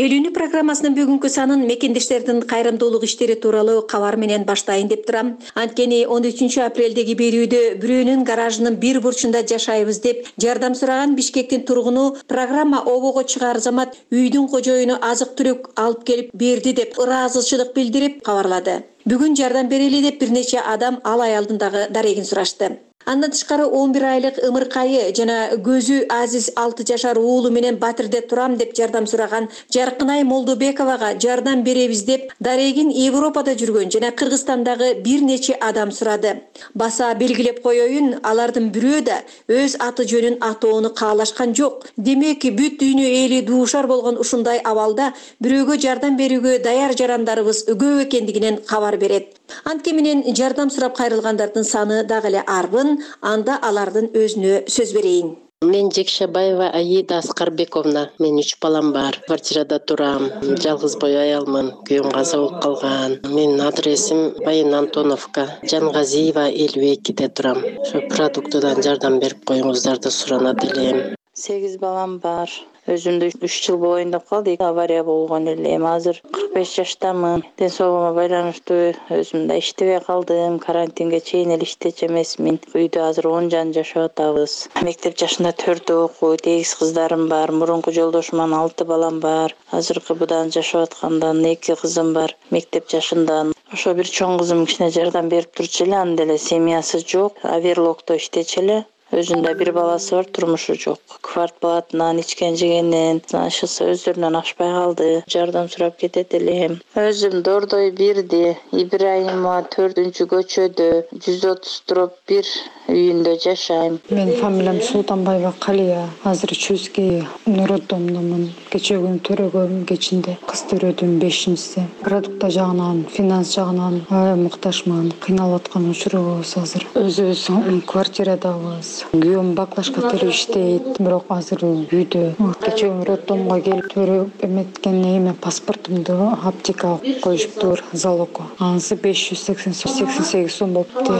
эл үнү программасынын бүгүнкү санын мекендештердин кайрымдуулук иштери тууралуу кабар менен баштайын деп турам. Анткени он үчүнчү апрелдеги берүүдө бирөөнүн гаражынын бир бурчунда жашайбыз деп жардам сураган Бишкектин тургуну программа обого чыгаар замат үйдүн кожоюну азык-түлүк алып келип берди деп ыраазычылык билдирип кабарлады. Бүгүн жардам берели деп бир нече адам ал аялдын дагы дарегин сурашты. Андан тышкары он бир айлык ымыркайы жана көзү Азиз алты жашар уулу менен Батирде турам деп жардам сураган Жаркынай Молдобековага жардам беребиз деп дарегин Европада жүргөн жана Кыргызстандагы бир нече адам сурады. Баса белгилеп коеюн, алардын бирөө да өз аты жөнүн атоону каалашкан жок. Демек, бүт дүйнө эли дуушар болгон ушундай абалда бирөөгө жардам берүүгө даяр жарандарыбыз көп экендигинен кабар берет. Анткени менен жардам сурап кайрылгандардын саны дагы эле арбын. Анда алардын өзүнө сөз берейин. Мен Жекшебаева Аида Аскарбековна. Мен үч балам бар. Квартирада турам. Жалгыз бой аялмын. Күйөөм каза болуп калган. Менин адресим Байын Антоновка. Жангазиева элүү экиде турам. Ошо продуктудан жардам берип коюңуздарды суранат элем. сегиз балам бар. Өзүмдү үч жыл болоюн деп калды. Авария болгон эле. Азыр кырк беш жаштамын. Ден соолугума байланыштуу өзүм да иштебей калдым. Карантинге чейин эле иштечү эмесмин. Үйдө азыр он жан жашап атабыз. Мектеп жашында төртөө окуйт. Эгиз кыздарым бар. Мурунку жолдошуман алты балам бар. Азыркы будан жашап аткандан эки кызым бар. Мектеп жашында. Ошо бир чоң кызым кичине жардам берип турчу эле. Анда эле семьясы жок. Аверлокто иштечү эле. Өзүндө бир баласы бар, турмушу жок. Квартплатынан, ичкен жегенен, ашысы өздөрүнөн ашпай калды. Жардам сурап кетет элем. Өзүм Дордой бирди, Ибраимова төртүнчү көчөдө, жүз отуз дробь бир үйүндө жашайм. Мен фамилиям Султанбаева Калия. Азыр Чүскей роддомдомун. Кечээ күнү төрөгөм, кечинде кыз төрөдүм бешинчиси. Продукта жагынан, финанс жагынан аябай муктажмын. Кыйналып аткан учурубуз азыр. Өзүбүз квартирадабыз. Күйөөм баклашка терип иштейт, бирок азыр үйдө. Кечээ күнү роддомго келип төрөп эметкен эме паспортумду аптекага коюшуптур, залогко. Анысы беш жүз сексен сегиз сом болуптур.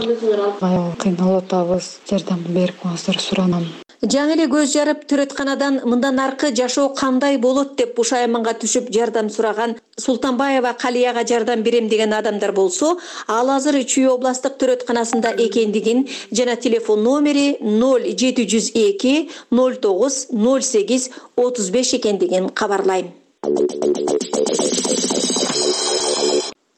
Аябай кыйналып атабыз. Жардам берип коюңуздар суранам. Жаңы эле көз жарып төрөтканадан мындан аркы жашоо кандай болот деп бушайманга түшүп жардам сураган Султанбаева Калияга жардам берем деген адамдар болсо, ал азыр Чүй областтык төрөтканасында экендигин жана телефон номери ноль жети жүз эки ноль тогуз ноль сегиз отуз беш экендигин кабарлайм.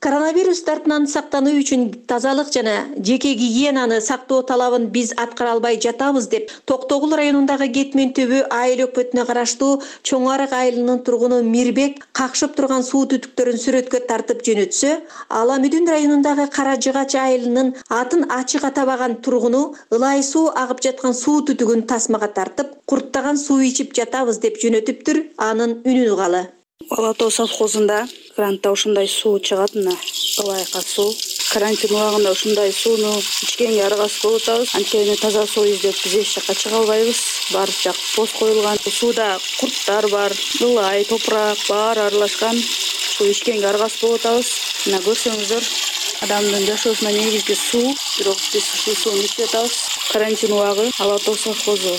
Коронавирус дартынан сактануу үчүн тазалык жана жеке гигиенаны сактоо талабын биз аткара албай жатабыз деп Токтогул районундагы Кетмен түбү айыл өкмөтүнө караштуу Чоң Арык айылынын тургуну Мирбек какшып турган суу түтүктөрүн сүрөткө тартып жөнөтсө, Ала Мүдүн районундагы Кара Жыгач айылынын атын ачык атабаган тургуну ылай суу агып жаткан суу түтүгүн тасмага тартып, курттаган суу ичип жатабыз деп жөнөтүптүр. Анын үнүн угалы. Ала Тоо совхозунда кранта ушундай суу чыгат, мына ылайка суу. Карантин убагында ушундай сууну ичкенге аргасыз болуп атабыз. Анткени таза суу издеп биз эч жакка чыга албайбыз. Баары жак пост коюлган. Сууда курттар бар, ылай, топурак баары аралашкан. Суу ичкенге аргасыз болуп атабыз. Мына көрсөңүздөр, адамдын жашоосуна негизги суу, бирок биз ушул сууну ичип атабыз. Карантин убагы Ала Тоо совхозу.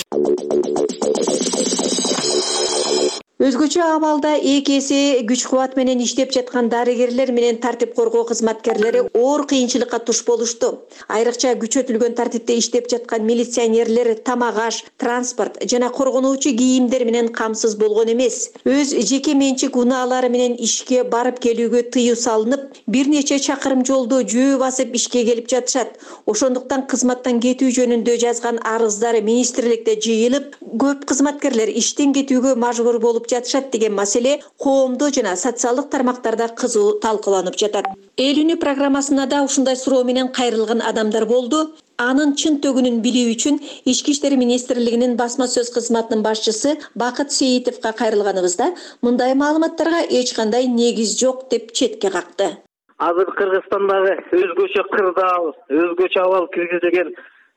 Өзгөчө абалда эки эсе күч кубат менен иштеп жаткан дарыгерлер менен тартип коргоо кызматкерлери оор кыйынчылыкка туш болушту. Айрыкча күчөтүлгөн тартипте иштеп жаткан милиционерлер тамак аш, транспорт жана коргонуучу кийимдер менен камсыз болгон эмес. Өз жеке менчик унаалары менен ишке барып келүүгө тыюу салынып, бир нече чакырым жолду жөө басып ишке келип жатышат. Ошондуктан кызматтан кетүү жөнүндө жазган арыздары министрликте жыйылып, көп кызматкерлер иштен кетүүгө мажбур болуп жатышат деген маселе коомдо жана социалдык тармактарда кызуу талкууланып жатат. Эл үнү программасына да ушундай суроо менен кайрылган адамдар болду. Анын чын төгүнүн билүү үчүн Ички иштер министрлигинин басма сөз кызматынын башчысы Бакыт Сейитовго кайрылганыбызда мындай маалыматтарга эч кандай негиз жок деп четке какты. Азыр Кыргызстандагы өзгөчө кырдаал, өзгөчө абал киргизилген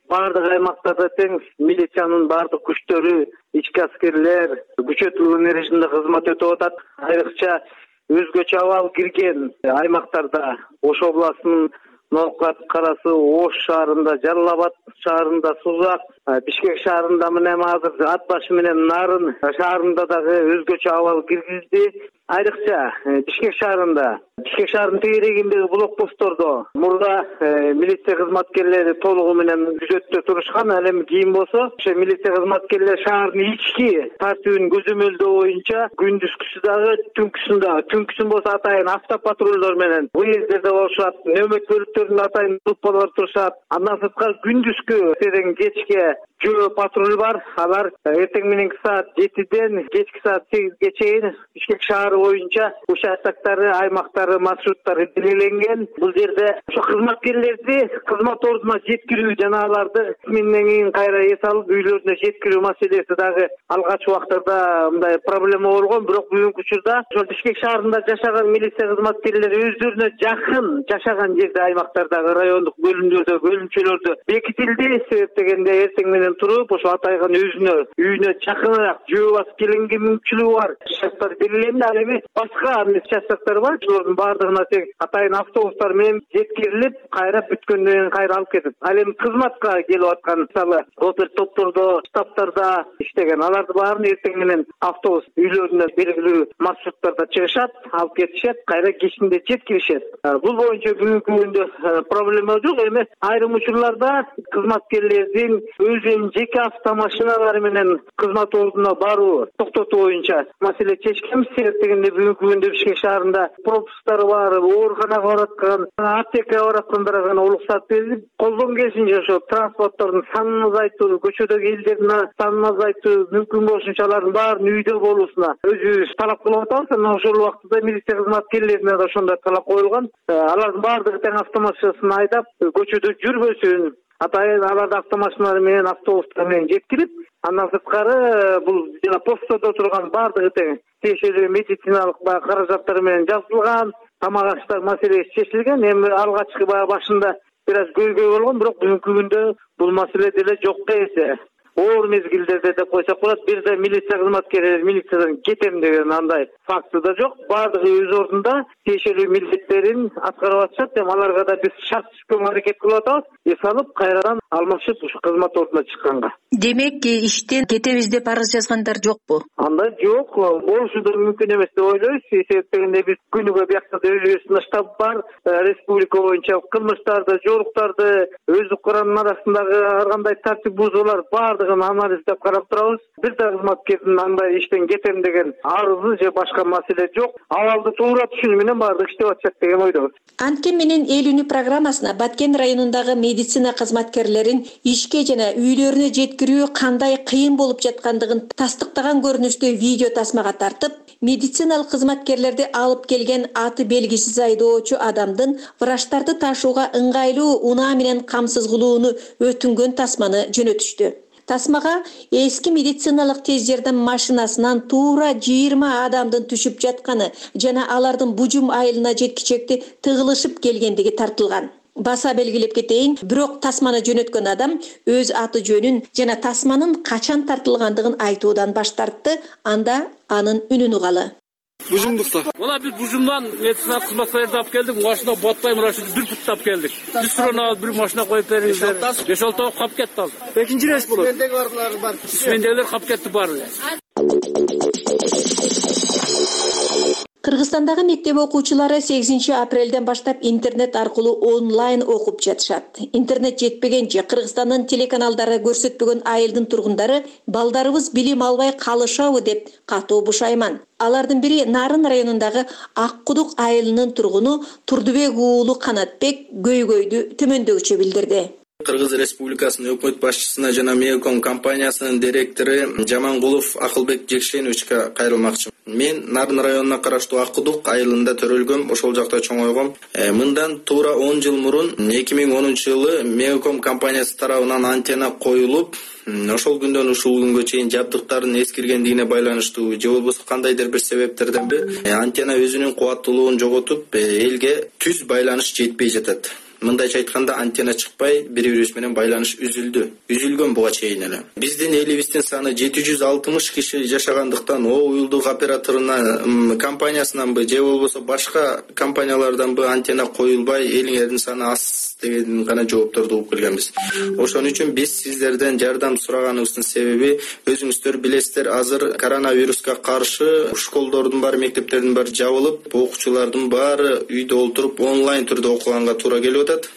бардык аймактарда тең милициянын бардык күчтөрү, ички аскерлер күчөтүлгөн режимде кызмат өтүп атат. Айрыкча өзгөчө абал кирген аймактарда Ош областынын Ноокат Карасы, Ош шаарында, Жалал Абад шаарында, Сузак, Бишкек шаарында менен азыр Ат башы менен Нарын шаарында дагы өзгөчө абал киргизди. Айрыкча Бишкек шаарында, Бишкек шаарынын тегерегиндеги блокпосттордо мурда милиция кызматкерлери толугу менен күзөттө турушкан. Ал эми кийин болсо ошо милиция кызматкерлери шаардын ички тартибин көзөмөлдөө боюнча күндүзгүсү дагы, түнкүсүн дагы, түнкүсүн болсо атайын автопатрулдор менен уездерде болушат, нөөмөт бөлүктөрүнүн атайын группалар турушат. Андан сырткары күндүзгү эртең кечке жөө патруль бар. Алар эртең мененки саат жетиден кечки саат сегизге чейин Бишкек шаары боюнча участоктары, аймактары, маршруттары белгиленген. Бул жерде ошо кызматкерлерди кызмат ордуна жеткирүү жана аларды менен кийин кайра эс алып үйлөрүнө жеткирүү маселеси дагы алгачкы убактарда мындай проблема болгон. Бирок бүгүнкү учурда ошо Бишкек шаарында жашаган милиция кызматкерлери өздөрүнө жакын жашаган жерде аймактардагы райондук бөлүмдөрдө, бөлүмчөлөрдө бекитилди. Себеп дегенде эртең менен туруп ошо атайган өзүнө үйүнө жакыныраак жөө басып келгенге мүмкүнчүлүгү бар. Участоктор белгиленди. Ал эми башка участоктор бар. Ошолордун баардыгына тең атайын автобустар менен жеткирилип, кайра бүткөндөн кийин кайра алып кетип. Ал эми кызматка келип аткан, мисалы, опер топтордо, штабтарда иштеген аларды баарын эртең менен автобус үйлөрүнө белгилүү маршруттарда чыгышат, алып кетишет, кайра кечинде жеткиришет. Бул боюнча бүгүнкү күндө проблема жок. Эми айрым учурларда кызматкерлердин өзүнүн жеке автомашиналары менен кызмат ордуна баруу токтотуу боюнча маселе чечкенбиз. Себеп дегенде бүгүнкү күндө Бишкек шаарында пропусктары бар, ооруканага бараткан, аптекага бараткандарга гана уруксат берилип, колдон келишинче ошо транспорттордун санын азайтуу, көчөдөгү элдердин санын азайтуу, мүмкүн болушунча алардын баарын үйдө болуусуна өзүбүз талап кылып атабыз. Анан ошол убакта милиция кызматкерлерине да ошондой талап коюлган. Алардын баардыгы тең автомашинасын айдап көчөдө жүрбөсүн. Атайын аларды автомашиналар менен, автобустар менен жеткирип, андан сырткары бул жана постодо турган баардыгы тең тиешелүү медициналык баягы каражаттар менен жазылган, тамак аштар маселеси чечилген. Эми алгачкы баягы башында бир аз көйгөй болгон, бирок бүгүнкү күндө бул маселе деле жокко эсе. Оор мезгилдерде деп койсок болот. Бир да милиция кызматкерлери милициядан кетем деген андай факты да жок. Баардыгы өз ордунда тиешелүү милдеттерин аткарып атышат. Эми аларга да биз шарт түзгөнгө аракет кылып атабыз. Эс алып кайрадан алмашып ушу кызмат ордуна чыкканга. Демек, иштен кетебиз деп арыз жазгандар жокпу? Андай жок. Болушу да мүмкүн эмес деп ойлойбуз. Себеп дегенде биз күнүгө биякта өзүбүздүн штаб бар. Республика боюнча кылмыштарды, жоруктарды, өз укуранын арасындагы ар кандай тартип бузуулар баардыгы баардыгын анализдеп карап турабыз. Бир да кызматкердин андай иштен кетем деген арызы же башка маселе жок. Абалды туура түшүнүү менен баардык иштеп атышат деген ойдобуз. Анткени менен эл үнү программасына Баткен районундагы медицина кызматкерлерин ишке жана үйлөрүнө жеткирүү кандай кыйын болуп жаткандыгын тастыктаган көрүнүштүү видео тасмага тартып, медициналык кызматкерлерди алып келген аты белгисиз айдоочу адамдын врачтарды ташууга ыңгайлуу унаа менен камсыз кылууну өтүнгөн тасманы жөнөтүштү. Тасмага эски медициналык тез жардам машинасынан туура жыйырма адамдын түшүп жатканы жана алардын бужум айылына жеткичекти тыгылышып келгендиги тартылган. Баса белгилеп кетейин, бирок тасманы жөнөткөн адам өз аты жөнүн жана тасманын качан тартылгандыгын айтуудан баш тартты, анда анын үнүн угалы. Бужумдукта. Мына биз бужумдан медицина кызматкерлерди алып келдик. Машина батпай мурашты бир путтап келдик. Биз сурана бир машина коюп бериңиздер. беш алты кап кетти азыр. Экинчи рейс болот. Мендеги барлар бар. Мендегилер кап кетти баары эле. Кыргызстандагы мектеп окуучулары сегизинчи апрелден баштап интернет аркылуу онлайн окуп жатышат. Интернет жетпеген же Кыргызстандын телеканалдары көрсөтпөгөн айылдын тургундары балдарыбыз билим албай калышабы деп катуу бушайман. Алардын бири Нарын районундагы Ак Кудук айылынын тургуну Турдубек уулу Канатбек көйгөйдү төмөндөгүчө билдирди. Кыргыз Республикасынын өкмөт башчысына жана Меоком компаниясынын директору Жамангулов Акылбек Жекшеновичке кайрылмакчымын. Мен Нарын районуна караштуу Ак Кудук айылында төрөлгөм, ошол жакта чоңойгом. Э, мындан туура он жыл мурун эки миң онунчу жылы Меоком компаниясы тарабынан антенна коюлуп, ошол күндөн ушул күнгө чейин жабдыктардын эскиргендигине байланыштуу же болбосо кандайдыр бир себептерден бир антенна өзүнүн кубаттуулугун жоготуп, элге түз байланыш жетпей жатат. Мындайча айтканда антенна чыкпай, бири-бирибиз менен байланыш үзүлдү. Үзүлгөн буга чейин эле. Биздин элибиздин саны жети жүз алтымыш киши жашагандыктан, о уюлдук операторуна компаниясынанбы же болбосо башка компанияларданбы антенна коюлбай, элиңердин саны аз деген гана жоопторду угуп келгенбиз. Ошон үчүн биз сиздерден жардам сураганыбыздын себеби, өзүңүздөр билесиздер, азыр коронавируска каршы школдордун баары, мектептердин баары жабылып, окуучулардын баары үйдө олтуруп онлайн түрдө окуганга туура келип атат.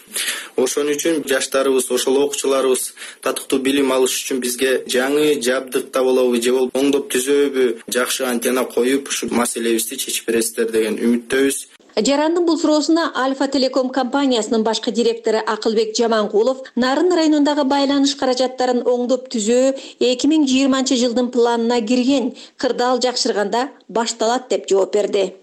Ошон үчүн жаштарыбыз, ошол окуучуларыбыз татыктуу билим алыш үчүн бизге жаңы жабдык табылабы же болбосо оңдоп түзөбү, жакшы антенна коюп, ушу маселебизди чечип бересиздер деген үмүттөбүз. Жарандын бул суроосуна Альфа Телеком компаниясынын башкы директору Акылбек Жамангулов Нарын районундагы байланыш каражаттарын оңдоп түзөө эки миң жыйырманчы жылдын планына кирген, кырдаал жакшырганда башталат деп жооп берди.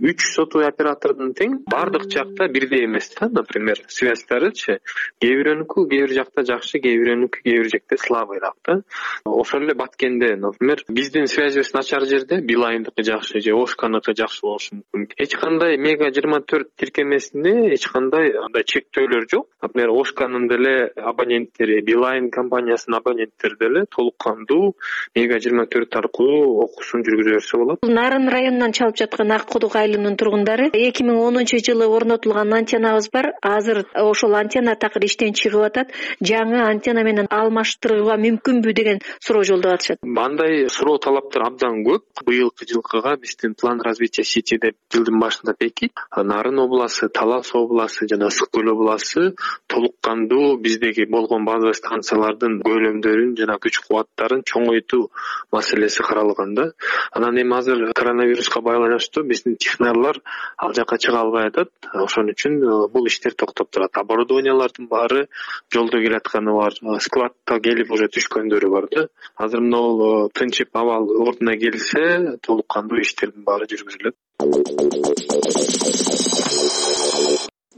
Үч сотовый оператордун тең бардык жакта бирдей эмес да, например, связьтарычы кээ бирөөнүкү кээ бир жакта жакшы, кээ бирөөнүкү кээ бир жакта слабыйраак да. Ошол эле Баткенде, например, биздин связьыбыз начар жерде Билайндыкы жакшы же Ошканыкы жакшы болушу мүмкүн. Эч кандай мега жыйырма төрт тиркемесинде эч кандай андай чектөөлөр жок. Например, Ошканын деле абоненттери, Билайн компаниясынын абоненттери деле толук кандуу мега жыйырма төрт аркылуу окуусун жүргүзө берсе болот. Нарын районунан чалып жаткан Ак Кудук айылынын тургундары эки миң онунчу жылы орнотулган антеннабыз бар. Азыр ошол антенна такыр иштен чыгып атат. Жаңы антенна менен алмаштырууга мүмкүнбү деген суроо жолдоп атышат. Мындай суроо талаптар абдан көп. Быйылкы жылкыга биздин план развития сети деп жылдын башында бекит. Нарын областы, Талас областы жана Ысык көл областы толук кандуу биздеги болгон база станциялардын көлөмдөрүн жана күч кубаттарын чоңойтуу маселеси каралган да. Анан эми азыр коронавируска байланыштуу биздин технарлар ал жака чыга албай атат. Ошон үчүн бул иштер токтоп турат. Оборудованиялардын баары жолдо келатканы бар, складка келип уже түшкөндөрү бар да. Азыр мына тынчып абал ордуна келсе, толук кандуу иштердин баары жүргүзүлөт.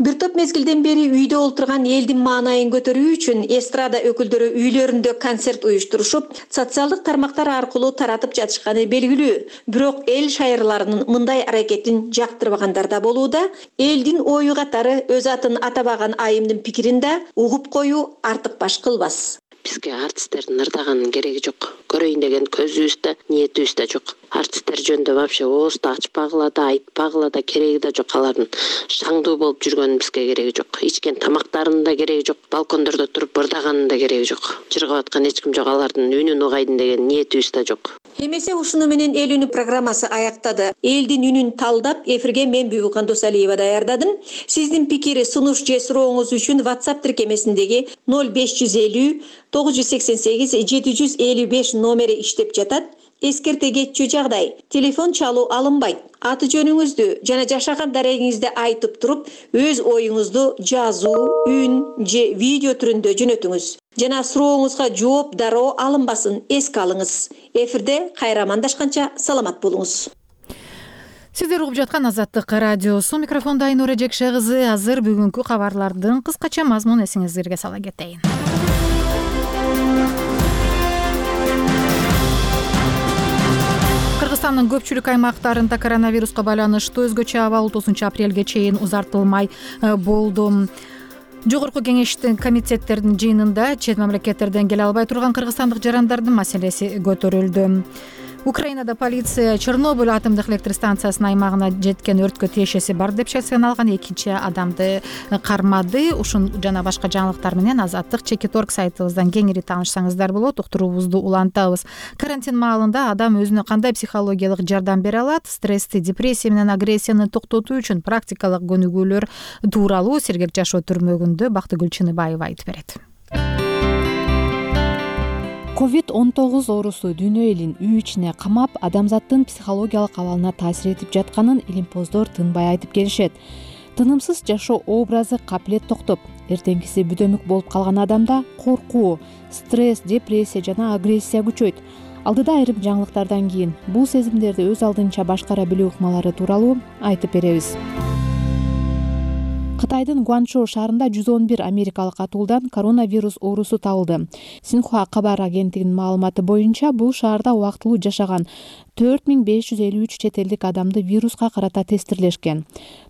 Бир топ мезгилден бери үйдө олтурган элдин маанайын көтөрүү үчүн эстрада өкүлдөрү үйлөрүндө концерт уюштурушуп, социалдык тармактар аркылуу таратып жатышканы белгилүү. Бирок эл шайырларынын мындай аракетин жактырбагандар да болууда. Элдин ою катары өз атын атабаган айымдын пикирин да угуп коюу артык баш кылбас. Бизге артисттердин ырдаган кереги жок. Көрөйүн деген көзүбүз да, ниетибиз да жок. Артисттер жөнүндө вообще оозду ачпагыла да, айтпагыла да кереги да жок. Алардын шаңдуу болуп жүргөнүн бизге кереги жок. Ичкен тамактарынын да кереги жок. Балкондордо туруп ырдаганын да кереги жок. Жыргап аткан эч ким жок. Алардын үнүн угайдын деген ниетибиз да жок. эмесе ушуну менен эл үнү программасы аяктады. Элдин үнүн талдап эфирге мен Бүбүкан Досалиева даярдадым. Сиздин пикир, сунуш же сурооңуз үчүн WhatsApp тиркемесиндеги ноль беш жүз элүү тогуз жүз сексен сегиз жети жүз элүү беш номери иштеп жатат. Эскерте кетчү жагдай, телефон чалуу алынбайт. Аты жөнүңүздү жана жашаган дарегиңизди айтып туруп, өз оюңузду жазуу, үн же видео түрүндө жөнөтүңүз. Жана сурооңузга жооп дароо алынбасын, эске алыңыз. Эфирде кайра амандашканча саламат болуңуз. Сиздер угуп жаткан Азаттык радиосу, микрофонда Айнура Жекше кызы. Азыр бүгүнкү кабарлардын кыскача мазмунун эсиңиздерге сала кетейин. Кыргызстандын көпчүлүк аймактарында коронавируска байланыштуу өзгөчө абал отузунчу апрелге чейин узартылмай болду. Жогорку кеңештин комитеттердин жыйынында чет мамлекеттерден келе албай турган кыргызстандык жарандардын маселеси көтөрүлдү. Украинада полиция Чернобыль атомдук электростанциясынын аймагына жеткен өрткө тиешеси бар деп шешим алган экинчи адамды кармады. Ушун жана башка жаңылыктар менен Азаттык чекит орг сайтыбыздан кеңири таанышсаңыздар болот. Уктуруубузду улантабыз. Карантин маалында адам өзүнө кандай психологиялык жардам бере алат? Стрессти, депрессия менен агрессияны токтотуу үчүн практикалык көнүгүүлөр тууралуу Сергек жашоо түрмөгүндө Бактыгүл Чыныбаева айтып берет. ковид он тогуз оорусу дүйнө элин үй ичине камап, адамзаттын психологиялык абалына таасир этип жатканын илимпоздор тынбай айтып келишет. Тынымсыз жашоо образы капилет токтоп, эртеңкиси бүдөмүк болуп калган адамда коркуу, стресс, депрессия жана агрессия күчөйт. Алдыда айрым жаңылыктардан кийин бул сезимдерди өз алдынча башкара билүү ыкмалары тууралуу айтып беребиз. Кытайдын Гуанчжоу шаарында жүз он бир америкалык атуулдан коронавирус оорусу табылды. Синхуа кабар агенттигинин маалыматы боюнча бул шаарда убактылуу жашаган төрт миң беш жүз элүү үч чет элдик адамды вируска карата тестирлешкен.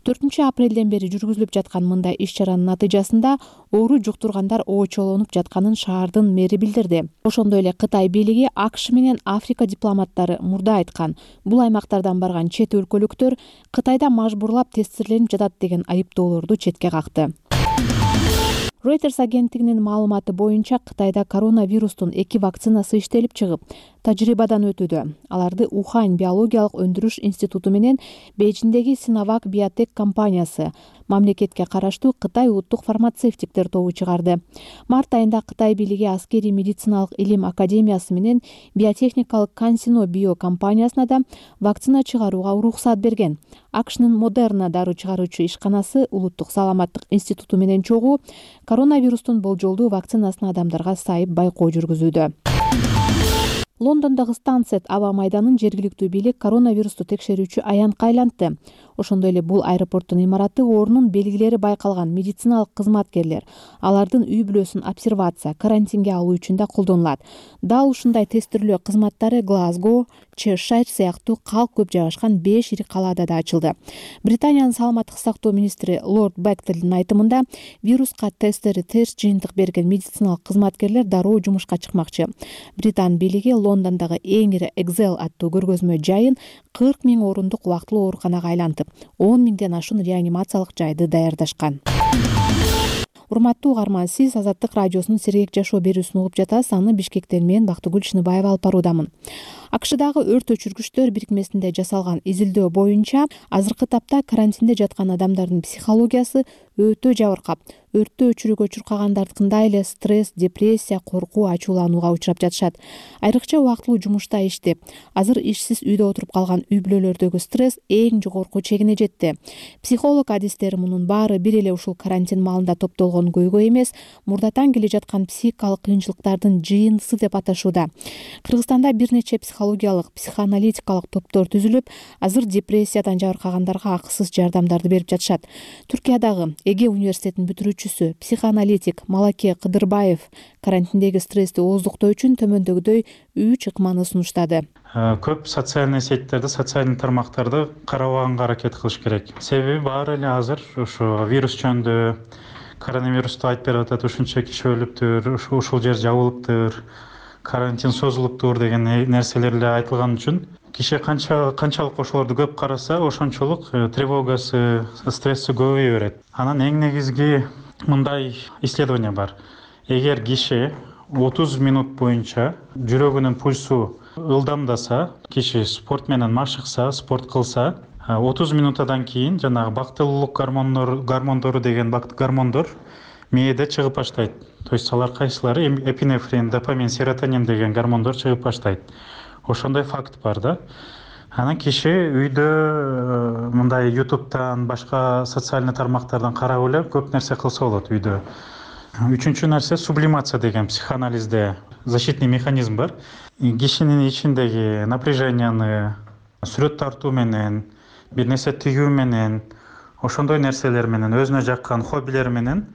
төртүнчү апрелден бери жүргүзүлүп жаткан мындай иш-чаранын натыйжасында оору жуктургандар очолонуп жатканын шаардын мэри билдирди. Ошондой эле Кытай бийлиги АКШ менен Африка дипломаттары мурда айткан, бул аймактардан барган чет өлкөлүктөр Кытайда мажбурлап тестирленип жатат деген айыптоолорду четке какты. Reuters агенттигинин маалыматы боюнча Кытайда коронавирустун эки вакцинасы иштелип чыгып, тажрыйбадан өтүүдө. Аларды Ухань биологиялык өндүрүш институту менен Бейжиңдеги Sinovac Biotech компаниясы, мамлекетке караштуу Кытай улуттук фармацевтиктер тобу чыгарды. Март айында Кытай бийлиги аскери медициналык илим академиясы менен биотехникалык CanSino Bio компаниясына да вакцина чыгарууга уруксат берген. АКШнын Moderna дару чыгаруучу ишканасы улуттук саламаттык институту менен чогуу коронавирустун болжолдуу вакцинасын адамдарга сайып байкоо жүргүзүүдө. Лондондогу Станцет аба майданын жергиликтүү бийлик коронавирусту текшерүүчү аянтка айлантты. Ошондой эле бул аэропорттун имараты орнунун белгилери байкалган медициналык кызматкерлер алардын үй бүлөсүн обсервация, карантинге алуу үчүн да колдонулат. Дал ушундай тестирлөө кызматтары Глазго, Чешир сыяктуу калк көп жайгашкан беш ири калаада да ачылды. Британиянын саламаттык сактоо министри Лорд Бектелдин айтымында вируска тесттери терс жыйынтык берген медициналык кызматкерлер дароо жумушка чыкмакчы. Британ бийлиги Лондондогу эң ири Excel аттуу көргөзмө жайын кырк миң орундук убактылуу ооруканага айлантып, он миңден ашуун реанимациялык жайды даярдашкан. Урматтуу угарман, сиз Азаттык радиосунун Сергек жашоо берүүсүн угуп жатасыз. Аны Бишкектен мен Бактыгүл Чыныбаева алып баруудамын. АКШдагы өрт өчүргүчтөр бирикмесинде жасалган изилдөө боюнча азыркы тапта карантинде жаткан адамдардын психологиясы өтө жабыркап, өрттү өчүрүүгө чуркагандардыкындай эле стресс, депрессия, коркуу, ачууланууга учурап жатышат. Айрыкча убактылуу жумушта иштеп, азыр ишсиз үйдө отуруп калган үй бүлөлөрдөгү стресс эң жогорку чегине жетти. Психолог адистери мунун баары бир эле ушул карантин маалында топтолгон көйгөй эмес, мурдатан келе жаткан психикалык кыйынчылыктардын жыйындысы деп аташууда. Кыргызстанда бир нече психологиялык, психоаналитикалык топтор түзүлүп, азыр депрессиядан жабыркагандарга акысыз жардамдарды берип жатышат. Түркиядагы Эге университетинин бүтүрүүчүсү, психоаналитик Малаке Кыдырбаев карантиндеги стрессти ооздуктоо үчүн төмөндөгүдөй үч ыкманы сунуштады. Көп социальный сеттерди, социальный тармактарды карабаганга аракет кылыш керек. Себеби баары эле азыр ушу вирус жөнүндө, коронавирусту айтып берип атат, ушунча киши өлүптүр, ушул жер жабылыптыр, карантин созулуптур деген нерселер эле айтылган үчүн киши канча канчалык ошолорду көп караса, ошончолук тревогасы, стресси көбөйө берет. Анан эң негизги мындай исследование бар. Эгер киши отуз минут боюнча жүрөгүнүн пульсу ылдамдаса, киши спорт менен машыкса, спорт кылса, отуз минутадан кийин жанагы бактылуулук гормондору гормондору деген гормондор мээде чыгып баштайт. То есть алар кайсылары эпинефрин, допамин, серотонин деген гормондор чыгып баштайт. Ошондой факт бар да. Анан киши үйдө мындай ютубтан, башка социалдык тармактардан карап эле көп нерсе кылса болот үйдө. Үчүнчү нерсе сублимация деген психоанализде защитный механизм бар. Кишинин ичиндеги напряженияны сүрөт тартуу менен, бир нерсе тигүү менен, ошондой нерселер менен, өзүнө жаккан хоббилер менен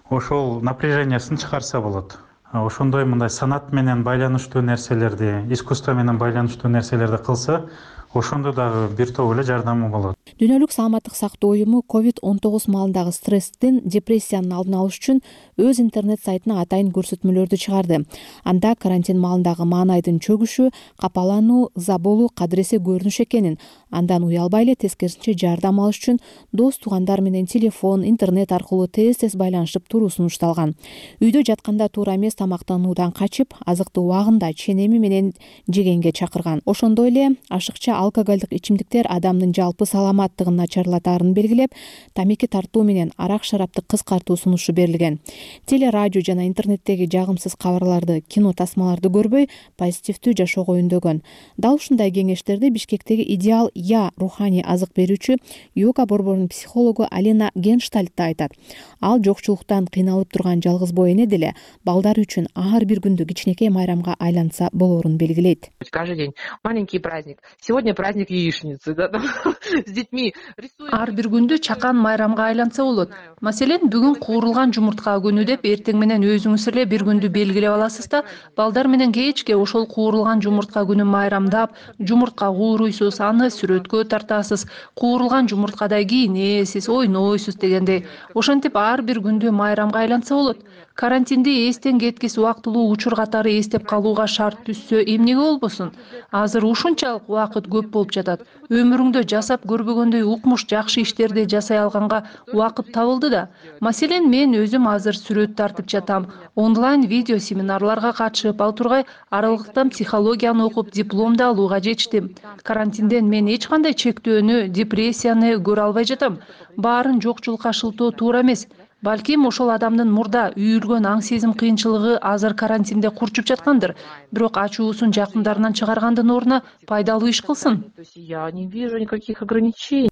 ошол напряжениясын чыгарса болот. Ошондой мындай санат менен байланыштуу нерселерди, искусство менен байланыштуу нерселерди кылса, ошондо дагы бир топ эле жардамы болот. Дүйнөлүк саламаттык сактоо уюму ковид он тогуз маалындагы стресстин, депрессиянын алдын алыш үчүн өз интернет сайтына атайын көрсөтмөлөрдү чыгарды. Анда карантин маалындагы маанайдын чөгүшү, капалануу, ыза болуу кадыресе көрүнүш экенин, андан уялбай эле тескерисинче жардам алыш үчүн дос туугандар менен телефон, интернет аркылуу тез-тез байланышып туруу сунушталган. Үйдө жатканда туура эмес тамактануудан качып, азыкты убагында ченеми менен жегенге чакырган. Ошондой эле ашыкча алкоголдук ичимдиктер адамдын жалпы саламаттыгын начарлатаарын белгилеп, тамеки тартуу менен арак шарапты кыскартуу сунушу берилген. Теле, радио жана интернеттеги жагымсыз кабарларды, кино тасмаларды көрбөй, позитивдүү жашоого үндөгөн. Дал ушундай кеңештерди Бишкектеги Идеал Я руханий азык берүүчү йога борборунун психологу Алина Генштальт да айтат. Ал жокчулуктан кыйналып турган жалгыз боо эне деле балдары үчүн ар бир күндү кичинекей майрамга айланса болоорун белгилейт. Каждый день маленький праздник. Сегодня праздник яичницы, да, с детьми. Ар бир күндү чакан майрамга айланса болот. Маселен, бүгүн куурулган жумуртка күнү деп эртең менен өзүңүз эле бир күндү белгилеп аласыз да, балдар менен кечке ошол куурулган жумуртка күнүн майрамдап, жумуртка кууруйсуз, аны сүрөткө тартасыз, куурулган жумурткадай кийинесиз, ойнойсуз дегендей. Ошентип ар бир күндү майрамга айланса болот. Карантинди эстен кеткис убактылуу учур катары эстеп калууга шарт түшсө эмнеге болбосун? Азыр ушунчалык убакыт көп болуп жатат. Өмүрүңдө жасап көрбөгөндөй укмуш жакшы иштерди жасай алганга убакыт табылды да. Маселен, мен өзүм азыр сүрөт тартып жатам. Онлайн видео семинарларга катышып ал тургай аралыктан психологияны окуп диплом да алууга жетиштим. Карантинден мен эч кандай чектөөнү, депрессияны көрө албай жатам. Баарын жокчулукка шылтоо туура эмес. Балким ошол адамдын мурда үйүлгөн аң сезим кыйынчылыгы азыр карантинде курчуп жаткандыр. Бирок ачуусун жакындарынан чыгаргандын ордуна пайдалуу иш кылсын. Я не вижу никаких ограничений.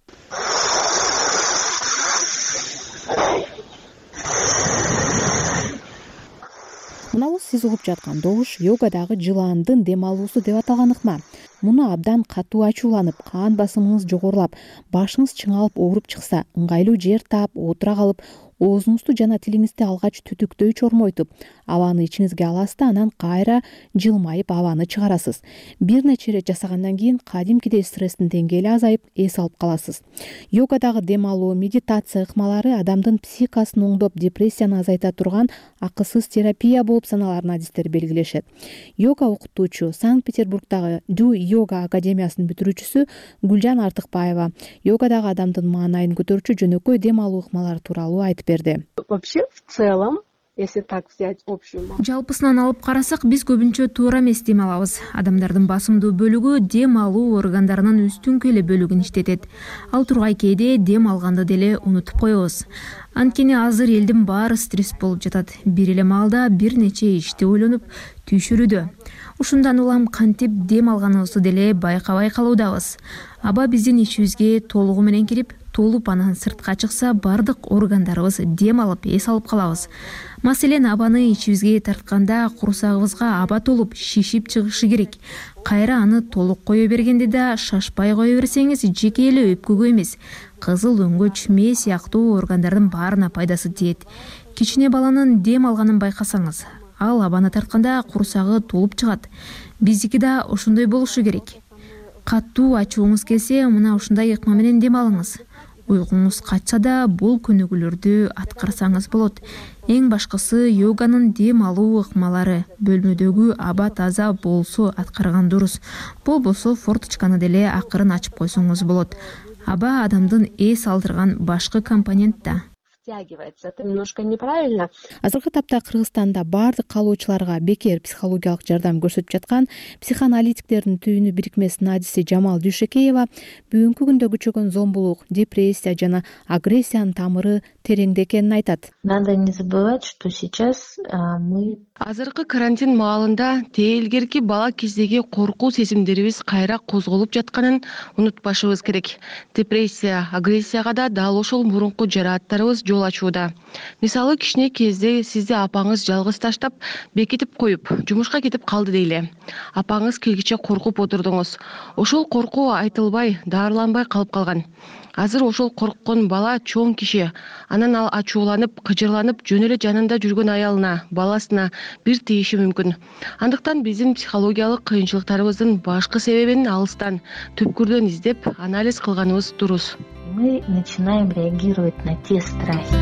Мынабу сиз угуп жаткан добуш йогадагы жылаандын дем алуусу деп аталган ыкма. Муну абдан катуу ачууланып, кан басымыңыз жогорулап, башыңыз чыңалып ооруп чыкса, ыңгайлуу жер таап, отура калып, оозуңузду жана тилиңизди алгач түтүктөй чормойтуп, абаны ичиңизге аласыз да анан кайра жылмайып абаны чыгарасыз. Бир нече ирет жасагандан кийин кадимкидей стресстин деңгээли азайып, эс алып каласыз. Йогадагы дем алуу, медитация ыкмалары адамдын психикасын оңдоп, депрессияны азайта турган акысыз терапия болуп саналарын адистер белгилешет. Йога окутуучу, Санкт-Петербургдагы Ду Йога академиясынын бүтүрүүчүсү Гүлжан Артыкбаева йогадагы адамдын маанайын көтөрүүчү жөнөкөй дем алуу ыкмалары тууралуу айтып берди. Вообще, в целом, если так взять общую массу. Жалпысынан алып карасак, биз көбүнчө туура эмес дем алабыз. Адамдардын басымдуу бөлүгү дем алуу органдарынын үстүңкү эле бөлүгүн иштетет. Ал тургай кээде дем алганды деле унутуп коебуз. Анткени азыр элдин баары стресс болуп жатат. Бир эле маалда бир нече ишти ойлонуп түйшүрүүдө. Ушундан улам кантип дем алганыбызды деле байкабай калуудабыз. Аба биздин ичибизге толугу менен кирип, толуп анан сыртка чыкса, бардык органдарыбыз дем алып, эс алып калабыз. Маселен, абаны ичибизге тартканда курсагыбызга аба толуп, шишип чыгышы керек. Кайра аны толук кое бергенде да шашпай кое берсеңиз, жеке эле өпкөгө эмес, кызыл өңгөч, мээ сыяктуу органдардын баарына пайдасы тиет. Кичине баланын дем алганын байкасаңыз, ал абаны тартканда курсагы толуп чыгат. Биздики да ошондой болушу керек. Катуу ачууңуз келсе, мына ушундай ыкма менен дем алыңыз. Уйкуңуз качса да бул көнүгүүлөрдү аткарсаңыз болот. Эң башкысы йоганын дем алуу ыкмалары. Бөлмөдөгү аба таза болсо аткарган дурус. Болбосо форточканы деле акырын ачып койсоңуз болот. Аба адамдын эс алдырган башкы компонент да. растягивается. Это немножко неправильно. Азыркы тапта Кыргызстанда баардык каалоочуларга бекер психологиялык жардам көрсөтүп жаткан психоаналитиктердин түйүнү бирикмесинин адиси Жамал Дүйшөкеева бүгүнкү күндө күчөгөн зомбулук, депрессия жана агрессиянын тамыры тереңде экенин айтат. Надо не забывать, что сейчас мы азыркы карантин маалында тээлгерки бала кездеги коркуу сезимдерибиз кайра козголуп жатканын унутпашыбыз керек. Депрессия, агрессияга да дал ошол мурунку жарааттарыбыз жол ачууда. Мисалы, кичине кезде сизди апаңыз жалгыз таштап, бекитип коюп, жумушка кетип калды дейле. Апаңыз келгиче коркуп отурдуңуз. Ошол коркуу айтылбай, дарыланбай калып калган. Азыр ошол корккон бала чоң киши, анан ал ачууланып, кыжырланып, жөн эле жанында жүргөн аялына, баласына бир тийиши мүмкүн. Андыктан биздин психологиялык кыйынчылыктарыбыздын башкы себебин алыстан, түпкүрдөн издеп, анализ кылганыбыз дурус. Мы начинаем реагировать на те страхи.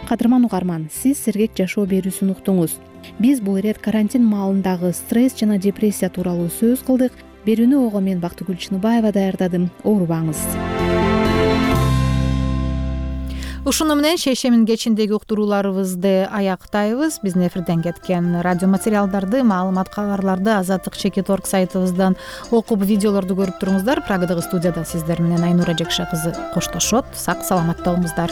Кадырман угарман, сиз сергек жашоо берүүсүн уктуңуз. Биз бул ирет карантин маалындагы стресс жана депрессия тууралуу сөз кылдык. Берүүнү ого мен Бактыгүл Чыныбаева даярдадым. Оорубаңыз. Ушуну менен шейшемин кечиндеги уктурууларыбызды аяктайбыз. Биздин эфирден кеткен радио материалдарды, маалымат кабарларды азаттык чекит орг сайтыбыздан окуп, видеолорду көрүп туруңуздар. Прагадагы студияда сиздер менен Айнура Жекше кызы коштошот. Сак саламат болуңуздар.